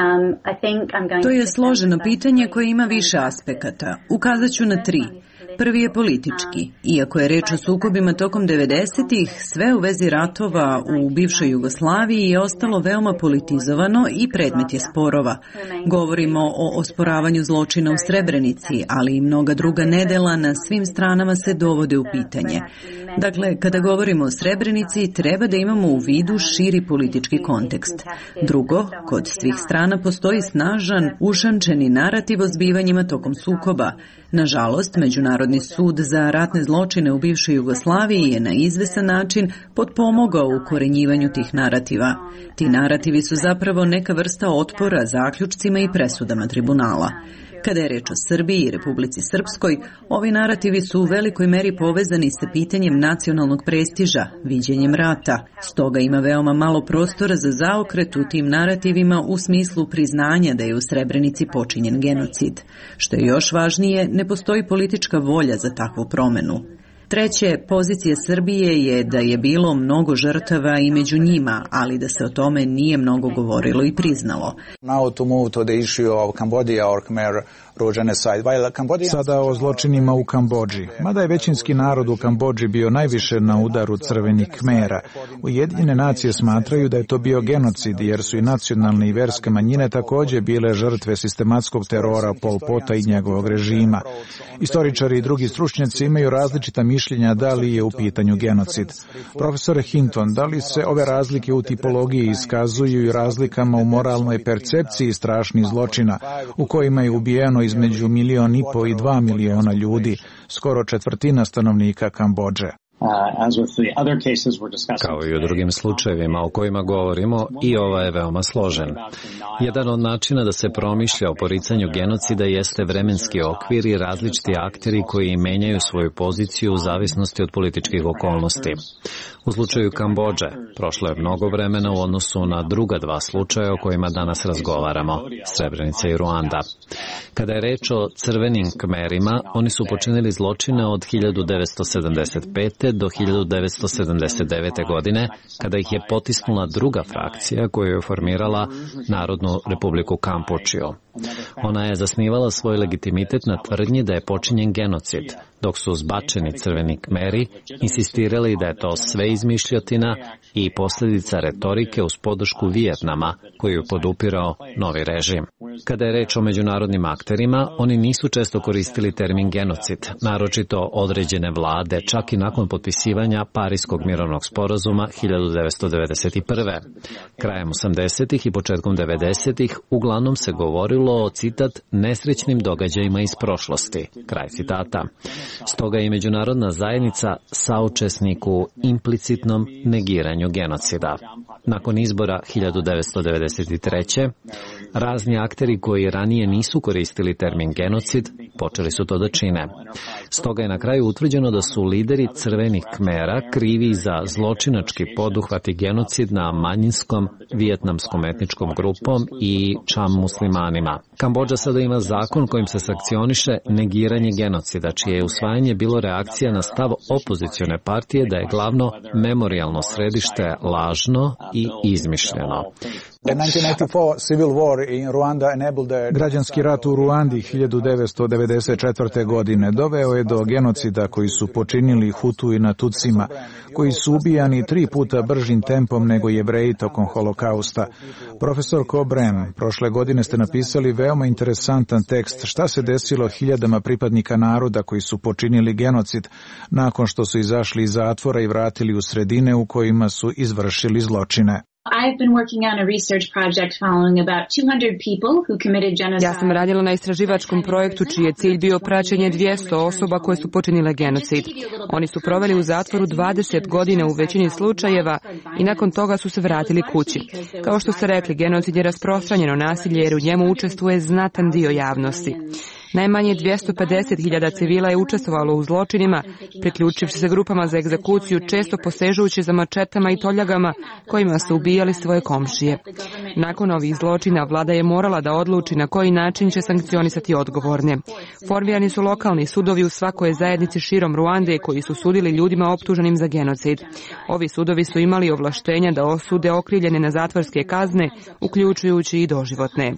Um, I think I'm going to je složeno pitanje koje ima više aspekata. Ukazat ću na tri. Prvi je politički. Iako je reč o sukobima tokom devedesetih, sve u vezi ratova u bivšoj Jugoslaviji je ostalo veoma politizovano i predmet je sporova. Govorimo o osporavanju zločina u Srebrenici, ali i mnoga druga nedela na svim stranama se dovode u pitanje. Dakle, kada govorimo o Srebrenici, treba da imamo u vidu širi politički kontekst. Drugo, kod svih strana postoji snažan, ušančeni narativ o zbivanjima tokom sukoba. Nažalost, Međunarodni sud za ratne zločine u bivšoj Jugoslaviji je na izvesan način potpomogao u korenjivanju tih narativa. Ti narativi su zapravo neka vrsta otpora zaključcima i presudama tribunala. Kada je reč o Srbiji i Republici Srpskoj, ovi narativi su u velikoj meri povezani sa pitanjem nacionalnog prestiža, viđenjem rata. Stoga ima veoma malo prostora za zaokret u tim narativima u smislu priznanja da je u Srebrenici počinjen genocid. Što je još važnije, ne postoji politička volja za takvu promenu. Treće, pozicija Srbije je da je bilo mnogo žrtava i među njima, ali da se o tome nije mnogo govorilo i priznalo. Sada o zločinima u Kambodži. Mada je većinski narod u Kambodži bio najviše na udaru crvenih Kmera, Ujedinjene nacije smatraju da je to bio genocid, jer su i nacionalne i verske manjine također bile žrtve sistematskog terora Pol Pota i njegovog režima. Istoričari i drugi stručnjaci imaju različita mišljenja da li je u pitanju genocid. Profesor Hinton, da li se ove razlike u tipologiji iskazuju i razlikama u moralnoj percepciji strašnih zločina, u kojima je ubijeno između milion i po i dva miliona ljudi, skoro četvrtina stanovnika Kambodže. Kao i u drugim slučajevima o kojima govorimo, i ovaj je veoma složen. Jedan od načina da se promišlja o poricanju genocida jeste vremenski okvir i različiti akteri koji menjaju svoju poziciju u zavisnosti od političkih okolnosti. U slučaju Kambodže prošlo je mnogo vremena u odnosu na druga dva slučaja o kojima danas razgovaramo, Srebrenica i Ruanda. Kada je reč o crvenim Kmerima, oni su počinili zločine od hiljadu devetsto sedamdeset pete do hiljadu devetsto sedamdeset devete. godine, kada ih je potisnula druga frakcija koju je formirala Narodnu republiku Kampučio. Ona je zasnivala svoj legitimitet na tvrdnji da je počinjen genocid, dok su zbačeni crveni Kmeri insistirali da je to sve izmišljotina i posljedica retorike uz podršku Vijetnama, koju je podupirao novi režim. Kada je reč o međunarodnim akterima, oni nisu često koristili termin genocid, naročito određene vlade, čak i nakon potpisivanja Pariskog mirovnog sporazuma hiljadu devetsto devedeset prve. Krajem osamdesetih i početkom devedesetih uglavnom se govorilo o, citat, nesrećnim događajima iz prošlosti, kraj citata. Stoga je međunarodna zajednica saučesnik u implicitnom negiranju genocida. Nakon izbora hiljadu devetsto devedeset treće. razni akteri koji ranije nisu koristili termin genocid počeli su to da čine. Stoga je na kraju utvrđeno da su lideri crvenih Kmera krivi za zločinački poduhvat i genocid na manjinskom vijetnamskom etničkom grupom i čam muslimanima. Kambodža sada ima zakon kojim se sankcioniše negiranje genocida, čije je usvajanje bilo reakcija na stav opozicione partije da je glavno memorijalno središte lažno i izmišljeno. Građanski rat u Ruandi hiljadu devetsto devedeset četvrte. godine doveo je do genocida koji su počinili Hutu i na Tutsima, koji su ubijani tri puta bržim tempom nego Jevreji tokom holokausta. Profesor Cobrem, prošle godine ste napisali veoma interesantan tekst šta se desilo hiljadama pripadnika naroda koji su počinili genocid nakon što su izašli iz zatvora i vratili u sredine u kojima su izvršili zločine. I've been working on a research project following about two hundred people who committed genocide. Ja sam radila na istraživačkom projektu čiji je cilj bio praćenje dvjesto osoba koje su počinile genocid. Oni su proveli u zatvoru dvadeset godina u većini slučajeva i nakon toga su se vratili kući. Kao što ste rekli, genocid je rasprostranjeno nasilje jer u njemu učestvuje znatan dio javnosti. Najmanje dvjesto pedeset hiljada civila je učestvovalo u zločinima, priključivši se grupama za egzekuciju, često posežujući za mačetama i toljagama kojima su ubijali svoje komšije. Nakon ovih zločina vlada je morala da odluči na koji način će sankcionisati odgovorne. Formirani su lokalni sudovi u svakoj zajednici širom Ruande koji su sudili ljudima optuženim za genocid. Ovi sudovi su imali ovlaštenja da osude okrivljene na zatvorske kazne, uključujući i doživotne.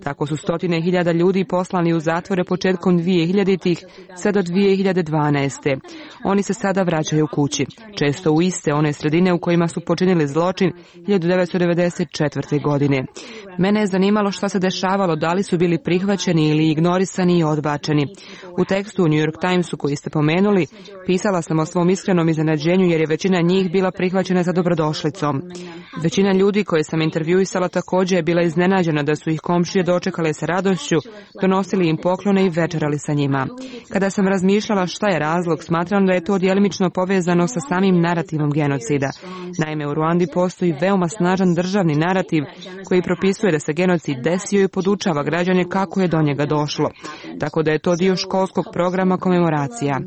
Tako su stotine hiljada ljudi poslani u zatvore početkom dvije hiljaditih sve do dvije hiljade dvanaeste. Oni se sada vraćaju kući, često u iste one sredine u kojima su počinili zločin hiljadu devetsto devedeset četvrte. godine. Mene je zanimalo šta se dešavalo, da li su bili prihvaćeni ili ignorisani i odbačeni. U tekstu u New York Timesu koji ste pomenuli, pisala sam o svom iskrenom iznenađenju jer je većina njih bila prihvaćena za dobrodošlicom. Većina ljudi koje sam intervjuisala također je bila iznenađena da su ih komšije dočekale sa radošću, donosili im poklone i večerali sa njima. Kada sam razmišljala šta je razlog, smatram da je to djelimično povezano sa samim narativom genocida. Naime, u Ruandi postoji veoma snažan državni narativ koji propisuje da se genocid desio i podučava građane kako je do njega došlo. Tako da je to dio školskog programa komemoracija.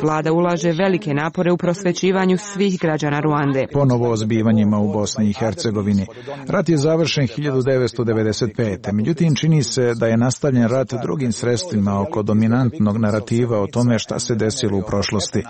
Vlada ulaže velike napore u prosvećivanju svih građana Ruande. Ponovo o zbivanjima u Bosni i Hercegovini. Rat je završen hiljadu devetsto devedeset pete. Međutim, čini se da je nastavljen rat drugim sredstvima oko dominantnog narativa o tome šta se desilo u prošlosti.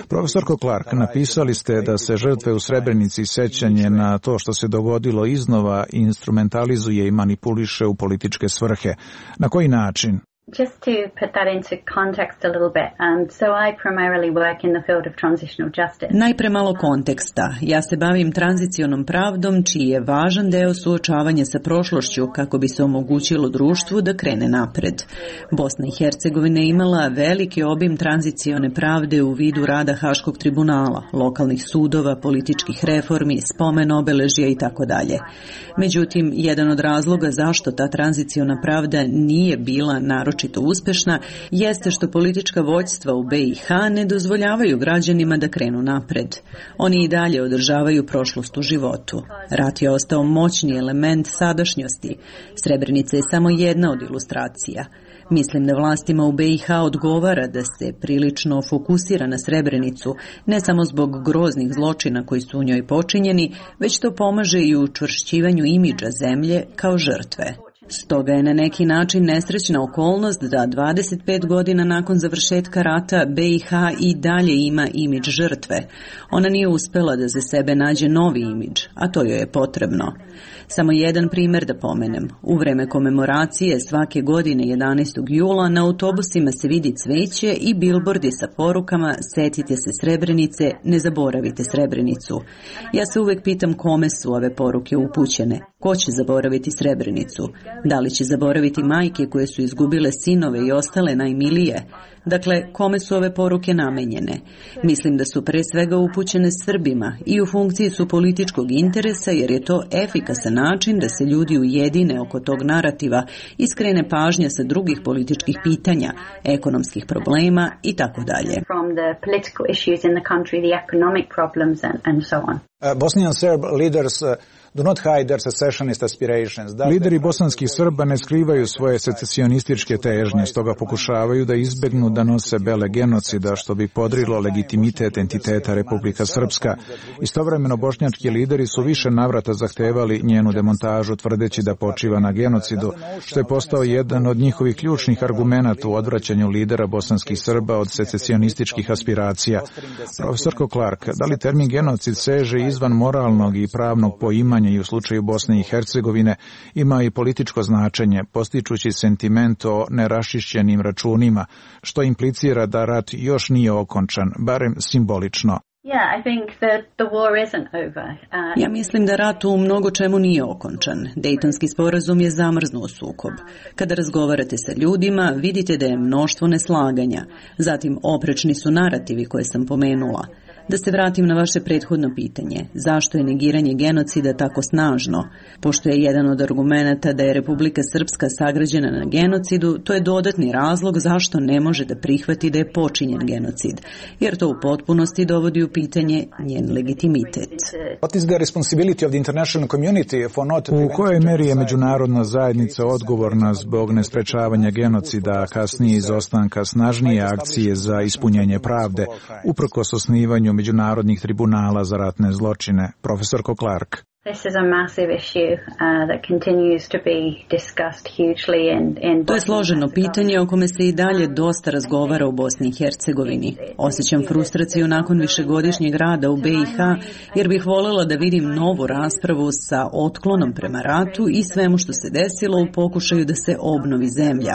Profesorko Clark, napisali ste da se žrtve u Srebrenici i sećanje na to što se dogodilo iznova instrumentalizuje i manipuliše u političke svrhe. Na koji način? Just to put that into context a little bit, um, so I primarily work in the field of transitional justice. Najpre malo konteksta. Ja se bavim tranzicionom pravdom, čiji je važan deo suočavanja sa prošlošću kako bi se omogućilo društvu da krene napred. Bosna i Hercegovina je imala veliki obim tranzicione pravde u vidu rada Haškog tribunala, lokalnih sudova, političkih reformi, spomen obeležja i tako dalje. Međutim, jedan od razloga zašto ta tranziciona pravda nije bila naročito uspešna jeste što politička vođstva u B i H ne dozvoljavaju građanima da krenu napred. Oni i dalje održavaju prošlost u životu. Rat je ostao moćni element sadašnjosti. Srebrenica je samo jedna od ilustracija. Mislim da vlastima u B i H odgovara da se prilično fokusira na Srebrenicu, ne samo zbog groznih zločina koji su u njoj počinjeni, već to pomaže i u učvršćivanju imidža zemlje kao žrtve. Stoga je na neki način nesrećna okolnost da dvadeset pet godina nakon završetka rata B i H i dalje ima imidž žrtve. Ona nije uspela da za sebe nađe novi imidž, a to joj je potrebno. Samo jedan primjer da pomenem. U vreme komemoracije svake godine jedanaestog jula na autobusima se vidi cveće i bilbordi sa porukama "Setite se Srebrenice, ne zaboravite Srebrenicu". Ja se uvek pitam kome su ove poruke upućene. Ko će zaboraviti Srebrenicu? Da li će zaboraviti majke koje su izgubile sinove i ostale najmilije? Dakle, kome su ove poruke namenjene? Mislim da su pre svega upućene Srbima i u funkciji su političkog interesa jer je to efikasan način da se ljudi ujedine oko tog narativa i skrene pažnja sa drugih političkih pitanja, ekonomskih problema i tako dalje. Bosnian Serb leaders do not hide their secessionist aspirations. Lideri bosanskih Srba ne skrivaju svoje secesionističke težnje, stoga pokušavaju da izbegnu da nose bele genocida, što bi podrilo legitimitet entiteta Republika Srpska. Istovremeno bošnjački lideri su više navrata zahtevali njenu demontažu, tvrdeći da počiva na genocidu, što je postao jedan od njihovih ključnih argumenata u odvraćanju lidera bosanskih Srba od secesionističkih aspiracija. Profesorko Clark, da li termin genocid seže izvan moralnog i pravnog poimanja i u slučaju Bosne i Hercegovine ima i političko značenje, postičući sentiment o neraščišćenim računima, što implicira da rat još nije okončan, barem simbolično. Ja mislim da rat u mnogo čemu nije okončan. Dejtonski sporazum je zamrznuo sukob. Kada razgovarate sa ljudima, vidite da je mnoštvo neslaganja. Zatim, oprečni su narativi koje sam pomenula. Da se vratim na vaše prethodno pitanje, zašto je negiranje genocida tako snažno? Pošto je jedan od argumenata da je Republika Srpska sagrađena na genocidu, to je dodatni razlog zašto ne može da prihvati da je počinjen genocid, jer to u potpunosti dovodi u pitanje njen legitimitet. U kojoj meri je međunarodna zajednica odgovorna zbog nesprečavanja genocida, a kasnije izostanka snažnije akcije za ispunjenje pravde, uprkos osnivanju međunarodnih tribunala za ratne zločine? Profesorko Clark. To je složeno pitanje o kome se i dalje dosta razgovara u Bosni i Hercegovini. Osjećam frustraciju nakon višegodišnjeg rada u B i H, jer bih voljela da vidim novu raspravu sa otklonom prema ratu i svemu što se desilo u pokušaju da se obnovi zemlja.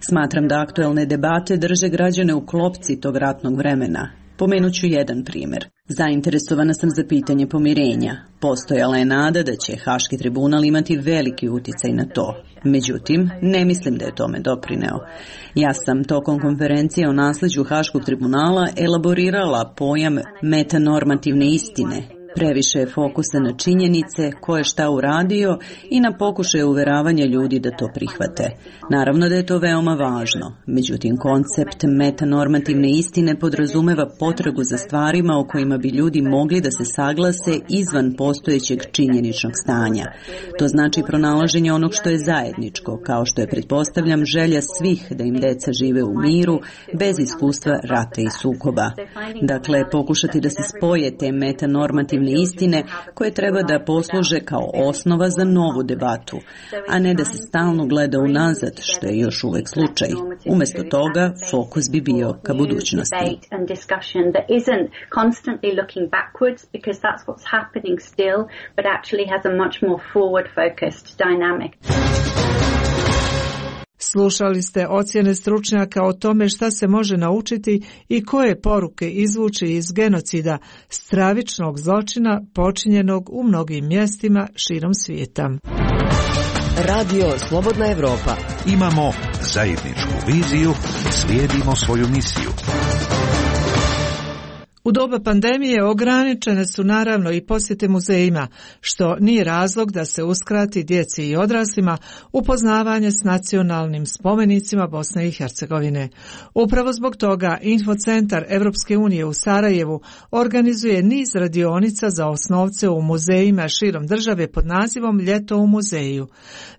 Smatram da aktuelne debate drže građane u klopci tog ratnog vremena. Pomenut ću jedan primjer. Zainteresovana sam za pitanje pomirenja. Postojala je nada da će Haški tribunal imati veliki uticaj na to. Međutim, ne mislim da je tome doprineo. Ja sam tokom konferencije o nasljeđu Haškog tribunala elaborirala pojam metanormativne istine. Previše je fokusa na činjenice, ko je šta uradio i na pokušaje uveravanja ljudi da to prihvate. Naravno da je to veoma važno, međutim koncept metanormativne istine podrazumeva potragu za stvarima o kojima bi ljudi mogli da se saglase izvan postojećeg činjeničnog stanja. To znači pronalaženje onog što je zajedničko, kao što je, pretpostavljam, želja svih da im deca žive u miru, bez iskustva rata i sukoba. Dakle, pokušati da se spoje te metanormativne istine koje treba da posluže kao osnova za novu debatu, a ne da se stalno gleda unazad, što je još uvek slučaj. Umjesto toga, fokus bi bio ka budućnosti. Slušali ste ocjene stručnjaka o tome šta se može naučiti i koje poruke izvući iz genocida, stravičnog zločina počinjenog u mnogim mjestima širom svijeta. Radio Slobodna Evropa. Imamo zajedničku viziju, slijedimo svoju misiju. U doba pandemije ograničene su naravno i posjete muzejima, što nije razlog da se uskrati djeci i odraslima upoznavanje s nacionalnim spomenicima Bosne i Hercegovine. Upravo zbog toga Infocentar Evropske unije u Sarajevu organizuje niz radionica za osnovce u muzejima širom države pod nazivom Ljeto u muzeju.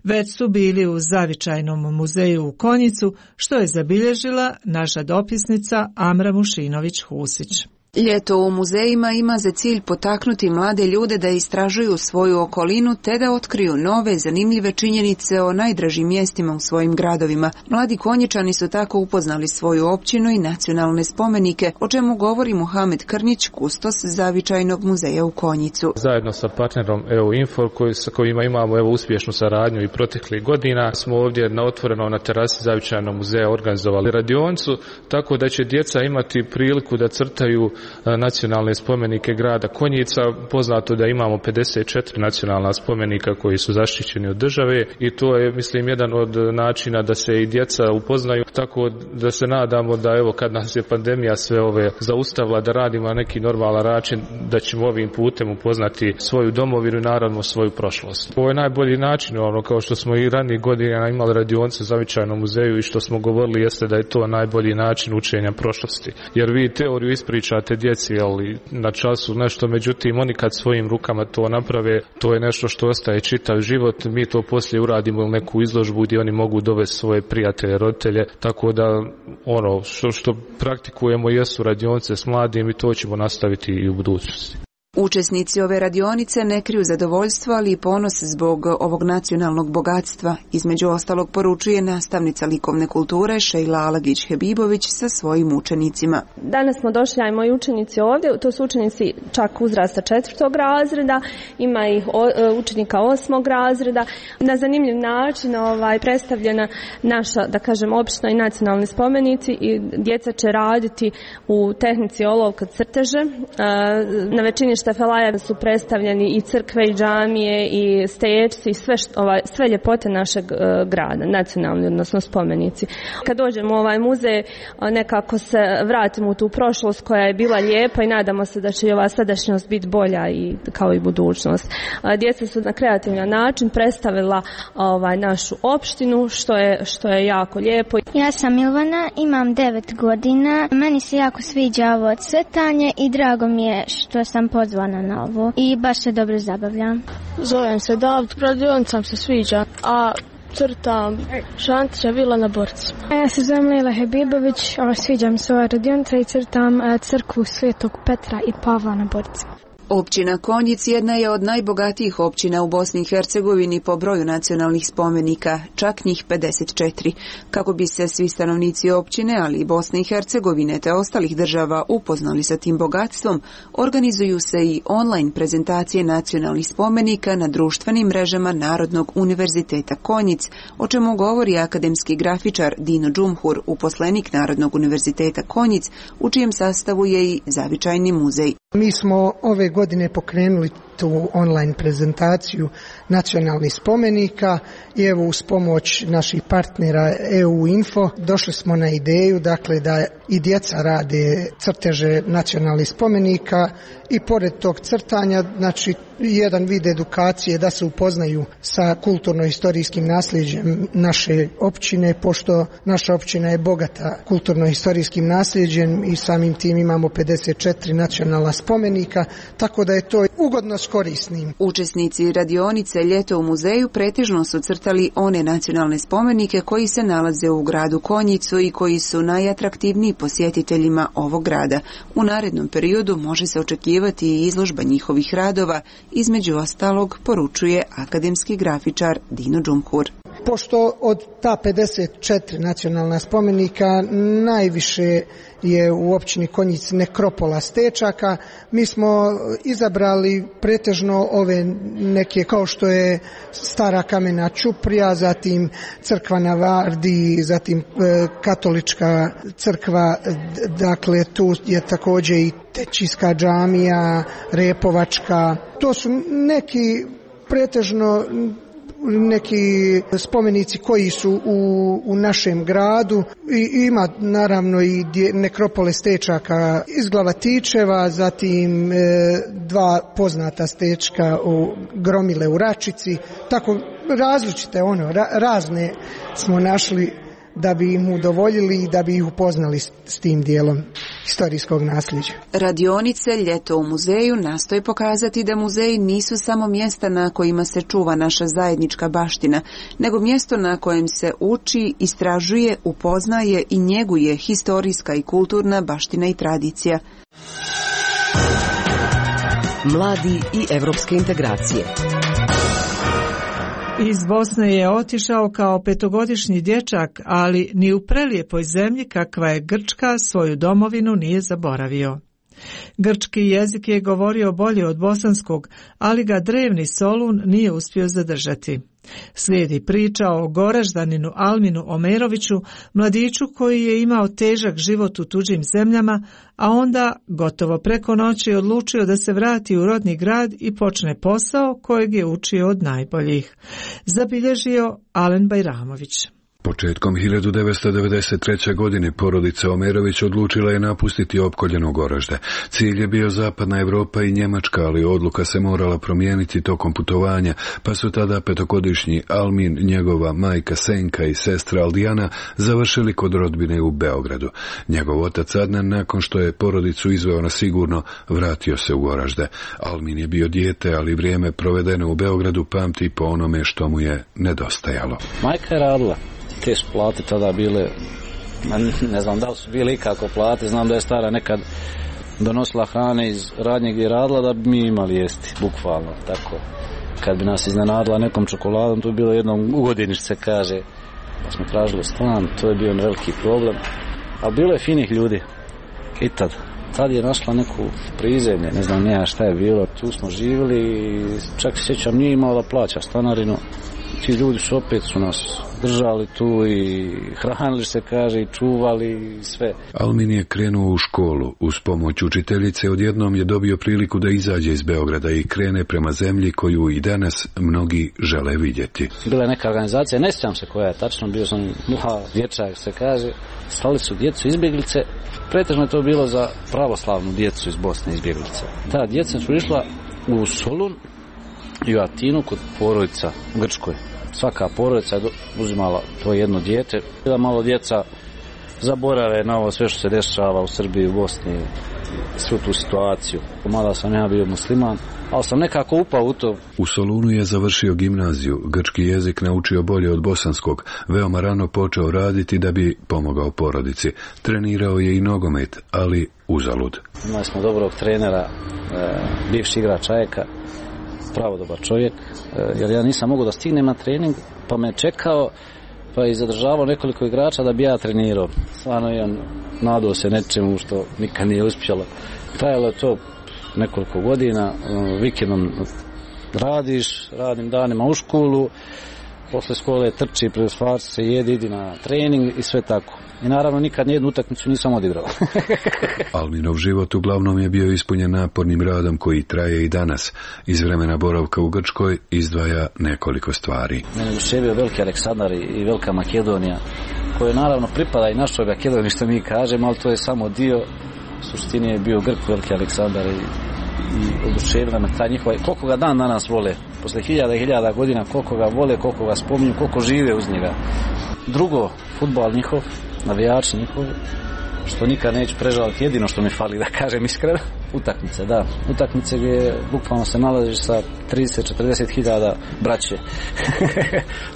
Već su bili u Zavičajnom muzeju u Konjicu, što je zabilježila naša dopisnica Amra Mušinović-Husić. Ljeto u muzejima ima za cilj potaknuti mlade ljude da istražuju svoju okolinu te da otkriju nove, zanimljive činjenice o najdražim mjestima u svojim gradovima. Mladi Konjičani su tako upoznali svoju općinu i nacionalne spomenike, o čemu govori Muhamed Krnić, kustos Zavičajnog muzeja u Konjicu. Zajedno sa partnerom E U Info, koji, sa kojima imamo evo uspješnu saradnju i proteklih godina, smo ovdje na otvoreno na terasi Zavičajnog muzeja organizovali radioncu, tako da će djeca imati priliku da crtaju nacionalne spomenike grada Konjica. Poznato da imamo pedeset četiri nacionalna spomenika koji su zaštićeni od države i to je, mislim, jedan od načina da se i djeca upoznaju, tako da se nadamo da evo kad nas je pandemija sve ove zaustavila da radimo na neki normalan način, da ćemo ovim putem upoznati svoju domovinu i naravno svoju prošlost. Ovo je najbolji način, ono, kao što smo i ranijih godina imali radionce u Zavičajnom muzeju i što smo govorili jeste da je to najbolji način učenja prošlosti. Jer vi teoriju ispričate djeci, ali na času nešto, međutim oni kad svojim rukama to naprave, to je nešto što ostaje čitav život. Mi to poslije uradimo u neku izložbu gdje oni mogu dovesti svoje prijatelje, roditelje, tako da ono što, što praktikujemo jesu radionice s mladim i to ćemo nastaviti i u budućnosti. Učesnici ove radionice ne kriju zadovoljstvo, ali i ponos zbog ovog nacionalnog bogatstva. Između ostalog poručuje nastavnica likovne kulture Šejla Alagić-Hebibović sa svojim učenicima. Danas smo došli, a i moji učenici ovdje, to su učenici čak uzrasta četvrtog razreda, ima ih učenika osmog razreda. Na zanimljiv način ovaj, predstavljena naša, da kažem, opština i nacionalni spomenici i djeca će raditi u tehnici olovka crteže. Na većini štafelaja su predstavljeni i crkve i džamije i stečci i sve, što, ovaj, sve ljepote našeg uh, grada, nacionalni, odnosno spomenici. Kad dođemo u ovaj muzej, nekako se vratimo u tu prošlost koja je bila lijepa i nadamo se da će i ova sadašnjost biti bolja i kao i budućnost. Djeca su na kreativan način predstavila ovaj, našu opštinu, što je, što je jako lijepo. Ja sam Milvana, imam devet godina. Meni se jako sviđa ovo crtanje i drago mi je što sam pozvana na ovo i baš se dobro zabavljam. Zovem se David, radionicam se sviđa, a crtam Šantića Vila na borcima. Ja se zovem Lila Hebibović, sviđa mi se ova radionica i crtam crkvu Svetog Petra i Pavla na borcima. Općina Konjic jedna je od najbogatijih općina u Bosni i Hercegovini po broju nacionalnih spomenika, čak njih pedeset četiri. Kako bi se svi stanovnici općine, ali i Bosne i Hercegovine te ostalih država upoznali sa tim bogatstvom, organizuju se i online prezentacije nacionalnih spomenika na društvenim mrežama Narodnog univerziteta Konjic, o čemu govori akademski grafičar Dino Džumhur, uposlenik Narodnog univerziteta Konjic, u čijem sastavu je i zavičajni muzej. Mi smo ove godine pokrenuli tu online prezentaciju nacionalnih spomenika i evo uz pomoć naših partnera E U Info došli smo na ideju dakle da i djeca rade crteže nacionalnih spomenika i pored tog crtanja znači jedan vid edukacije da se upoznaju sa kulturno-historijskim nasljeđem naše općine, pošto naša općina je bogata kulturno-historijskim nasljeđem i samim tim imamo pedeset četiri nacionalna spomenika, tako da je to ugodno s korisnim. Učesnici radionice Ljeto u muzeju pretežno su crtali one nacionalne spomenike koji se nalaze u gradu Konjicu i koji su najatraktivniji posjetiteljima ovog grada. U narednom periodu može se očekivati i izložba njihovih radova, između ostalog poručuje akademski grafičar Dino Džumhur. Pošto od ta pedeset četiri nacionalna spomenika najviše je u općini Konjic nekropola stečaka, mi smo izabrali pretežno ove neke kao što je stara kamena ćuprija, zatim crkva na Vardi, zatim e, katolička crkva, dakle tu je također i Tećijska džamija, Repovačka. To su neki pretežno neki spomenici koji su u, u našem gradu i ima naravno i nekropole stečaka iz Glavatičeva, zatim e, dva poznata stečka u Gromile u Račici, tako različite ono, ra, razne smo našli da bi im udovoljili i da bi ih upoznali s, s tim dijelom historijskog nasljeđa. Radionice Ljeto u muzeju nastoje pokazati da muzeji nisu samo mjesta na kojima se čuva naša zajednička baština, nego mjesto na kojem se uči, istražuje, upoznaje i njeguje historijska i kulturna baština i tradicija. Mladi i evropske integracije. Iz Bosne je otišao kao petogodišnji dječak, ali ni u prelijepoj zemlji kakva je Grčka svoju domovinu nije zaboravio. Grčki jezik je govorio bolje od bosanskog, ali ga drevni Solun nije uspio zadržati. Slijedi priča o Goraždaninu Alminu Omeroviću, mladiću koji je imao težak život u tuđim zemljama, a onda gotovo preko noći odlučio da se vrati u rodni grad i počne posao kojeg je učio od najboljih. Zabilježio Alen Bajramović. Početkom hiljadu devetsto devedeset treće. godine porodica Omerović odlučila je napustiti opkoljeno Goražde. Cilj je bio zapadna Evropa i Njemačka, ali odluka se morala promijeniti tokom putovanja, pa su tada petogodišnji Almin, njegova majka Senka i sestra Aldijana završili kod rodbine u Beogradu. Njegov otac Adnan, nakon što je porodicu izveo na sigurno, vratio se u Goražde. Almin je bio dijete, ali vrijeme provedeno u Beogradu pamti po onome što mu je nedostajalo. Majka je radila. Te su plate tada bile, ne znam da li su bile ikako plate, znam da je stara nekad donosila hrane iz radnje gdje je radila da bi mi imali jesti, bukvalno, tako. Kad bi nas iznenadila nekom čokoladom, to je bilo jednom u godini što se kaže, pa smo tražili stan, to je bio veliki problem, ali bilo je finih ljudi i tad. Tad je našla neku prizemlje, ne znam nija šta je bilo, tu smo živjeli i čak se sjećam nije imao da plaća stanarinu, ti ljudi su opet su nas držali tu i hranili se, kaže, i čuvali i sve. Almin je krenuo u školu. Uz pomoć učiteljice odjednom je dobio priliku da izađe iz Beograda i krene prema zemlji koju i danas mnogi žele vidjeti. Bila je neka organizacija, ne sjećam se koja je tačno, bio sam mlad dječak, se kaže, slali su djecu izbjeglice, pretežno je to bilo za pravoslavnu djecu iz Bosne izbjeglice. Ta djeca su išla u Solun i u Atinu kod porodica u Grčkoj. Svaka porodica je uzimala to jedno dijete, da malo djeca zaborave na ovo sve što se dešava u Srbiji, u Bosni, svu tu situaciju. Mada sam ja bio musliman, ali sam nekako upao u to. U Solunu je završio gimnaziju, grčki jezik naučio bolje od bosanskog, veoma rano počeo raditi da bi pomogao porodici. Trenirao je i nogomet, ali uzalud. Imali smo dobrog trenera, e, bivši igrač Ajeka, pravo dobar čovjek, jer ja nisam mogao da stignem na trening, pa me čekao, pa je zadržavao nekoliko igrača da bi ja trenirao. Stvarno je on nadao se nečemu što nikad nije uspjelo. Trajalo je to nekoliko godina, vikendom radiš, radim danima u školu, posle škole trči, preusvarci se, jedi, idi na trening i sve tako. I naravno nikad nijednu utakmicu nisam odigrao. Alminov život uglavnom je bio ispunjen napornim radom koji traje i danas. Iz vremena boravka u Grčkoj izdvaja nekoliko stvari. Mene duševio veliki Aleksandar i velika Makedonija, koje naravno pripada i našoj Makedoniji što mi kažemo, ali to je samo dio. U suštini je bio Grk veliki Aleksandar i, i oduševila me ta njihova. Koliko ga dan danas vole, posle hiljada i hiljada godina, koliko ga vole, koliko ga spominju, koliko žive uz njega. Drugo, fudbal njihov, navijači njihovi, što nikad neću prežaliti, jedino što mi fali da kažem iskreno, utakmice, da, utakmice gdje bukvalno se nalaziš sa trideset do četrdeset hiljada braće.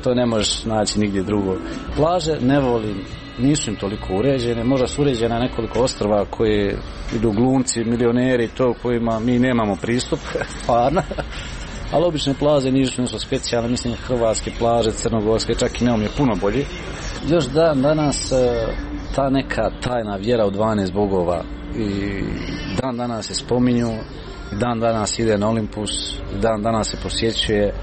To ne možeš naći nigdje drugo. Plaže ne volim, nisu im toliko uređene, možda su uređene nekoliko ostrva koje idu glumci, milioneri, to kojima mi nemamo pristup, stvarno. Ali obične plaže nisu nešto specijalne, mislim hrvatske plaže, crnogorske, čak i Neum je puno bolji. Još dan danas ta neka tajna vjera u dvanaest bogova i dan danas se spominju, dan danas ide na Olimpus, dan danas se posjećuje,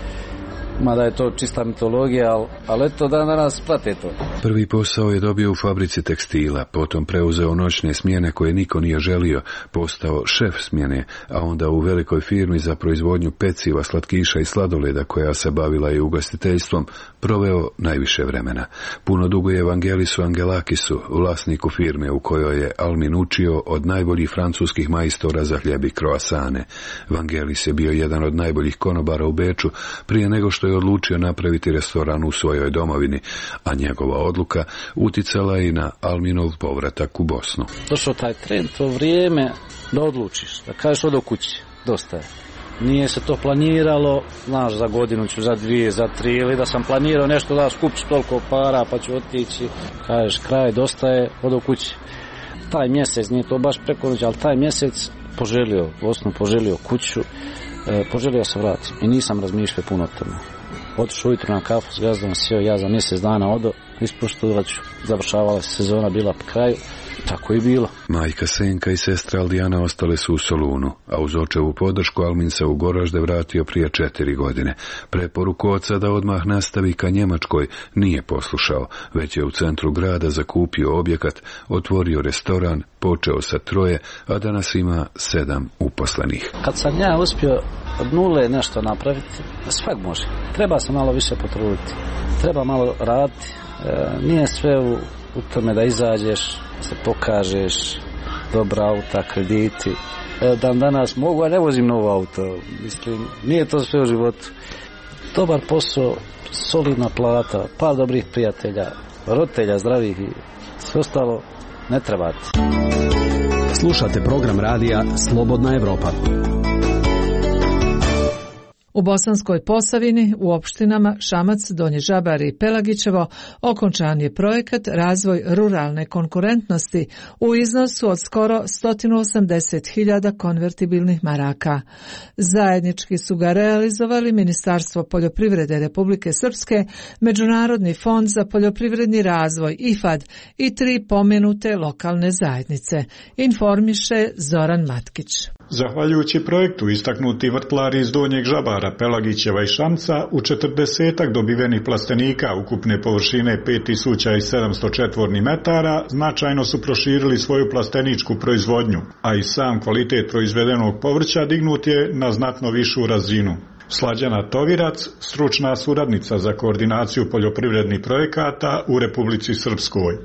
mada je to čista mitologija, ali, ali eto dan danas prate to. Prvi posao je dobio u fabrici tekstila, potom preuzeo noćne smjene koje niko nije želio, postao šef smjene, a onda u velikoj firmi za proizvodnju peciva, slatkiša i sladoleda koja se bavila i ugostiteljstvom, proveo najviše vremena. Puno dugo je Evangelisu Angelakisu, vlasniku firme u kojoj je Almin učio od najboljih francuskih majstora za hljeb i kroasane. Vangelis je bio jedan od najboljih konobara u Beču prije nego što je odlučio napraviti restoran u svojoj domovini, a njegova odluka uticala i na Alminov povratak u Bosnu. Došao taj trend, to vrijeme da odlučiš, da kažeš odo kući, dosta je. Nije se to planiralo, znaš, za godinu ću, za dvije, za tri, ili da sam planirao nešto da skupim toliko para pa ću otići, kažeš kraj, dosta je, odo kući. Taj mjesec, nije to baš preko noći, ali taj mjesec poželio Bosnu, poželio kuću, e, poželio se vratim i nisam razmišljao puno o tome. Otišao ujutro na kafu s gazdom, sjeo ja za mjesec dana odo, ispoštovat ću, završavala se sezona, bila po kraju, tako i bilo. Majka Senka i sestra Aldijana ostale su u Solunu, a uz očevu podršku Almin se u Goražde vratio prije četiri godine. Preporuku oca da odmah nastavi ka Njemačkoj nije poslušao, već je u centru grada zakupio objekat, otvorio restoran, počeo sa troje, a danas ima sedam uposlenih. Kad sam ja uspio od nule nešto napraviti, svak može. Treba se malo više potruditi, treba malo raditi, e, nije sve u, u tome da izađeš, se pokažeš, dobra auta, krediti. E, dan danas mogu, a ne vozim novo auto. Mislim, nije to sve u životu. Dobar posao, solidna plata, par dobrih prijatelja, roditelja zdravih i sve ostalo ne trebate. Slušate program radija Slobodna Evropa. U Bosanskoj Posavini, u opštinama Šamac, Donji Žabar i Pelagićevo, okončan je projekat Razvoj ruralne konkurentnosti u iznosu od skoro sto osamdeset hiljada konvertibilnih maraka. Zajednički su ga realizovali Ministarstvo poljoprivrede Republike Srpske, Međunarodni fond za poljoprivredni razvoj I F A D i tri pomenute lokalne zajednice, informiše Zoran Matkić. Zahvaljujući projektu, istaknuti vrtlari iz Donjeg Žabara hektara Pelagićeva i Šamca u četrdesetak dobivenih plastenika ukupne površine pet tisuća sedamsto četvornih metara značajno su proširili svoju plasteničku proizvodnju, a i sam kvalitet proizvedenog povrća dignut je na znatno višu razinu. Slađana Tovirac, stručna suradnica za koordinaciju poljoprivrednih projekata u Republici Srpskoj.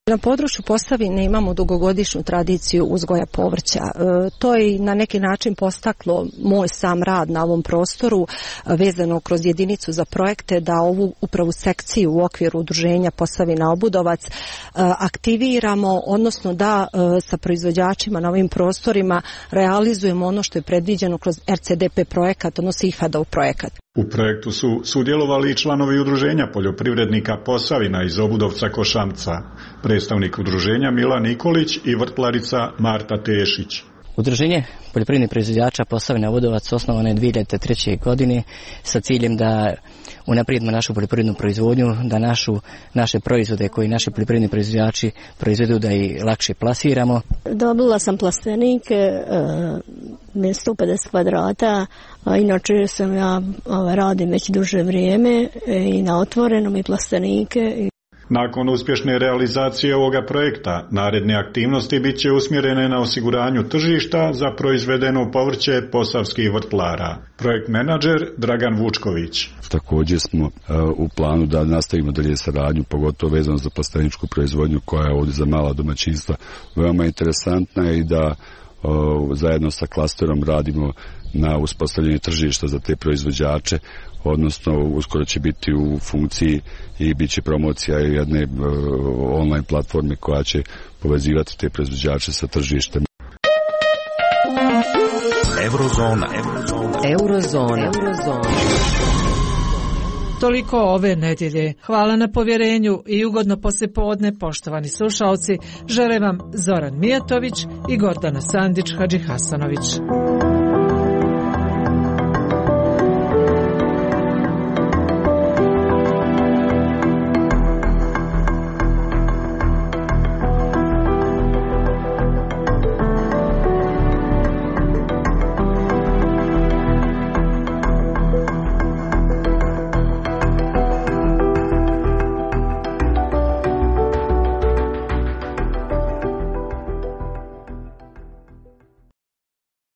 Na području Posavine imamo dugogodišnju tradiciju uzgoja povrća. E, to je na neki način postaklo moj sam rad na ovom prostoru vezano kroz jedinicu za projekte da ovu upravu sekciju u okviru udruženja Posavina Obudovac e, aktiviramo, odnosno da e, sa proizvođačima na ovim prostorima realizujemo ono što je predviđeno kroz R C D P projekat, odnosno I F A D-ov projekat. U projektu su sudjelovali i članovi udruženja poljoprivrednika Posavina iz Obudovca Košamca, predstavnik udruženja Mila Nikolić i vrtlarica Marta Tešić. Udruženje poljoprivrednih proizvođača Posavina Obudovac osnovano je dvije hiljade treće. godine sa ciljem da unaprijedimo našu poljoprivrednu proizvodnju, da našu, naše proizvode koji naši poljoprivredni proizvođači proizvedu da i lakše plasiramo. Dobila sam plastenik e, sto pedeset kvadrata, a inače sam ja ova, radim već duže vrijeme e, i na otvorenom i plastenike. Nakon uspješne realizacije ovoga projekta, naredne aktivnosti bit će usmjerene na osiguranju tržišta za proizvedeno povrće posavskih vrtlara. Projekt menadžer Dragan Vučković. Također smo uh, u planu da nastavimo dalje saradnju, pogotovo vezano za plasteničku proizvodnju koja je ovdje za mala domaćinstva veoma interesantna i da uh, zajedno sa klasterom radimo na uspostavljanju tržišta za te proizvođače, odnosno uskoro će biti u funkciji i bit će promocija jedne uh, online platforme koja će povezivati te proizvođače sa tržištem. Eurozona. Eurozona. Eurozona. Eurozona. Toliko ove nedjelje. Hvala na povjerenju i ugodno poslijepodne, poštovani slušalci. Žele vam Zoran Mijatović i Gordana Sandić Hadžihasanović.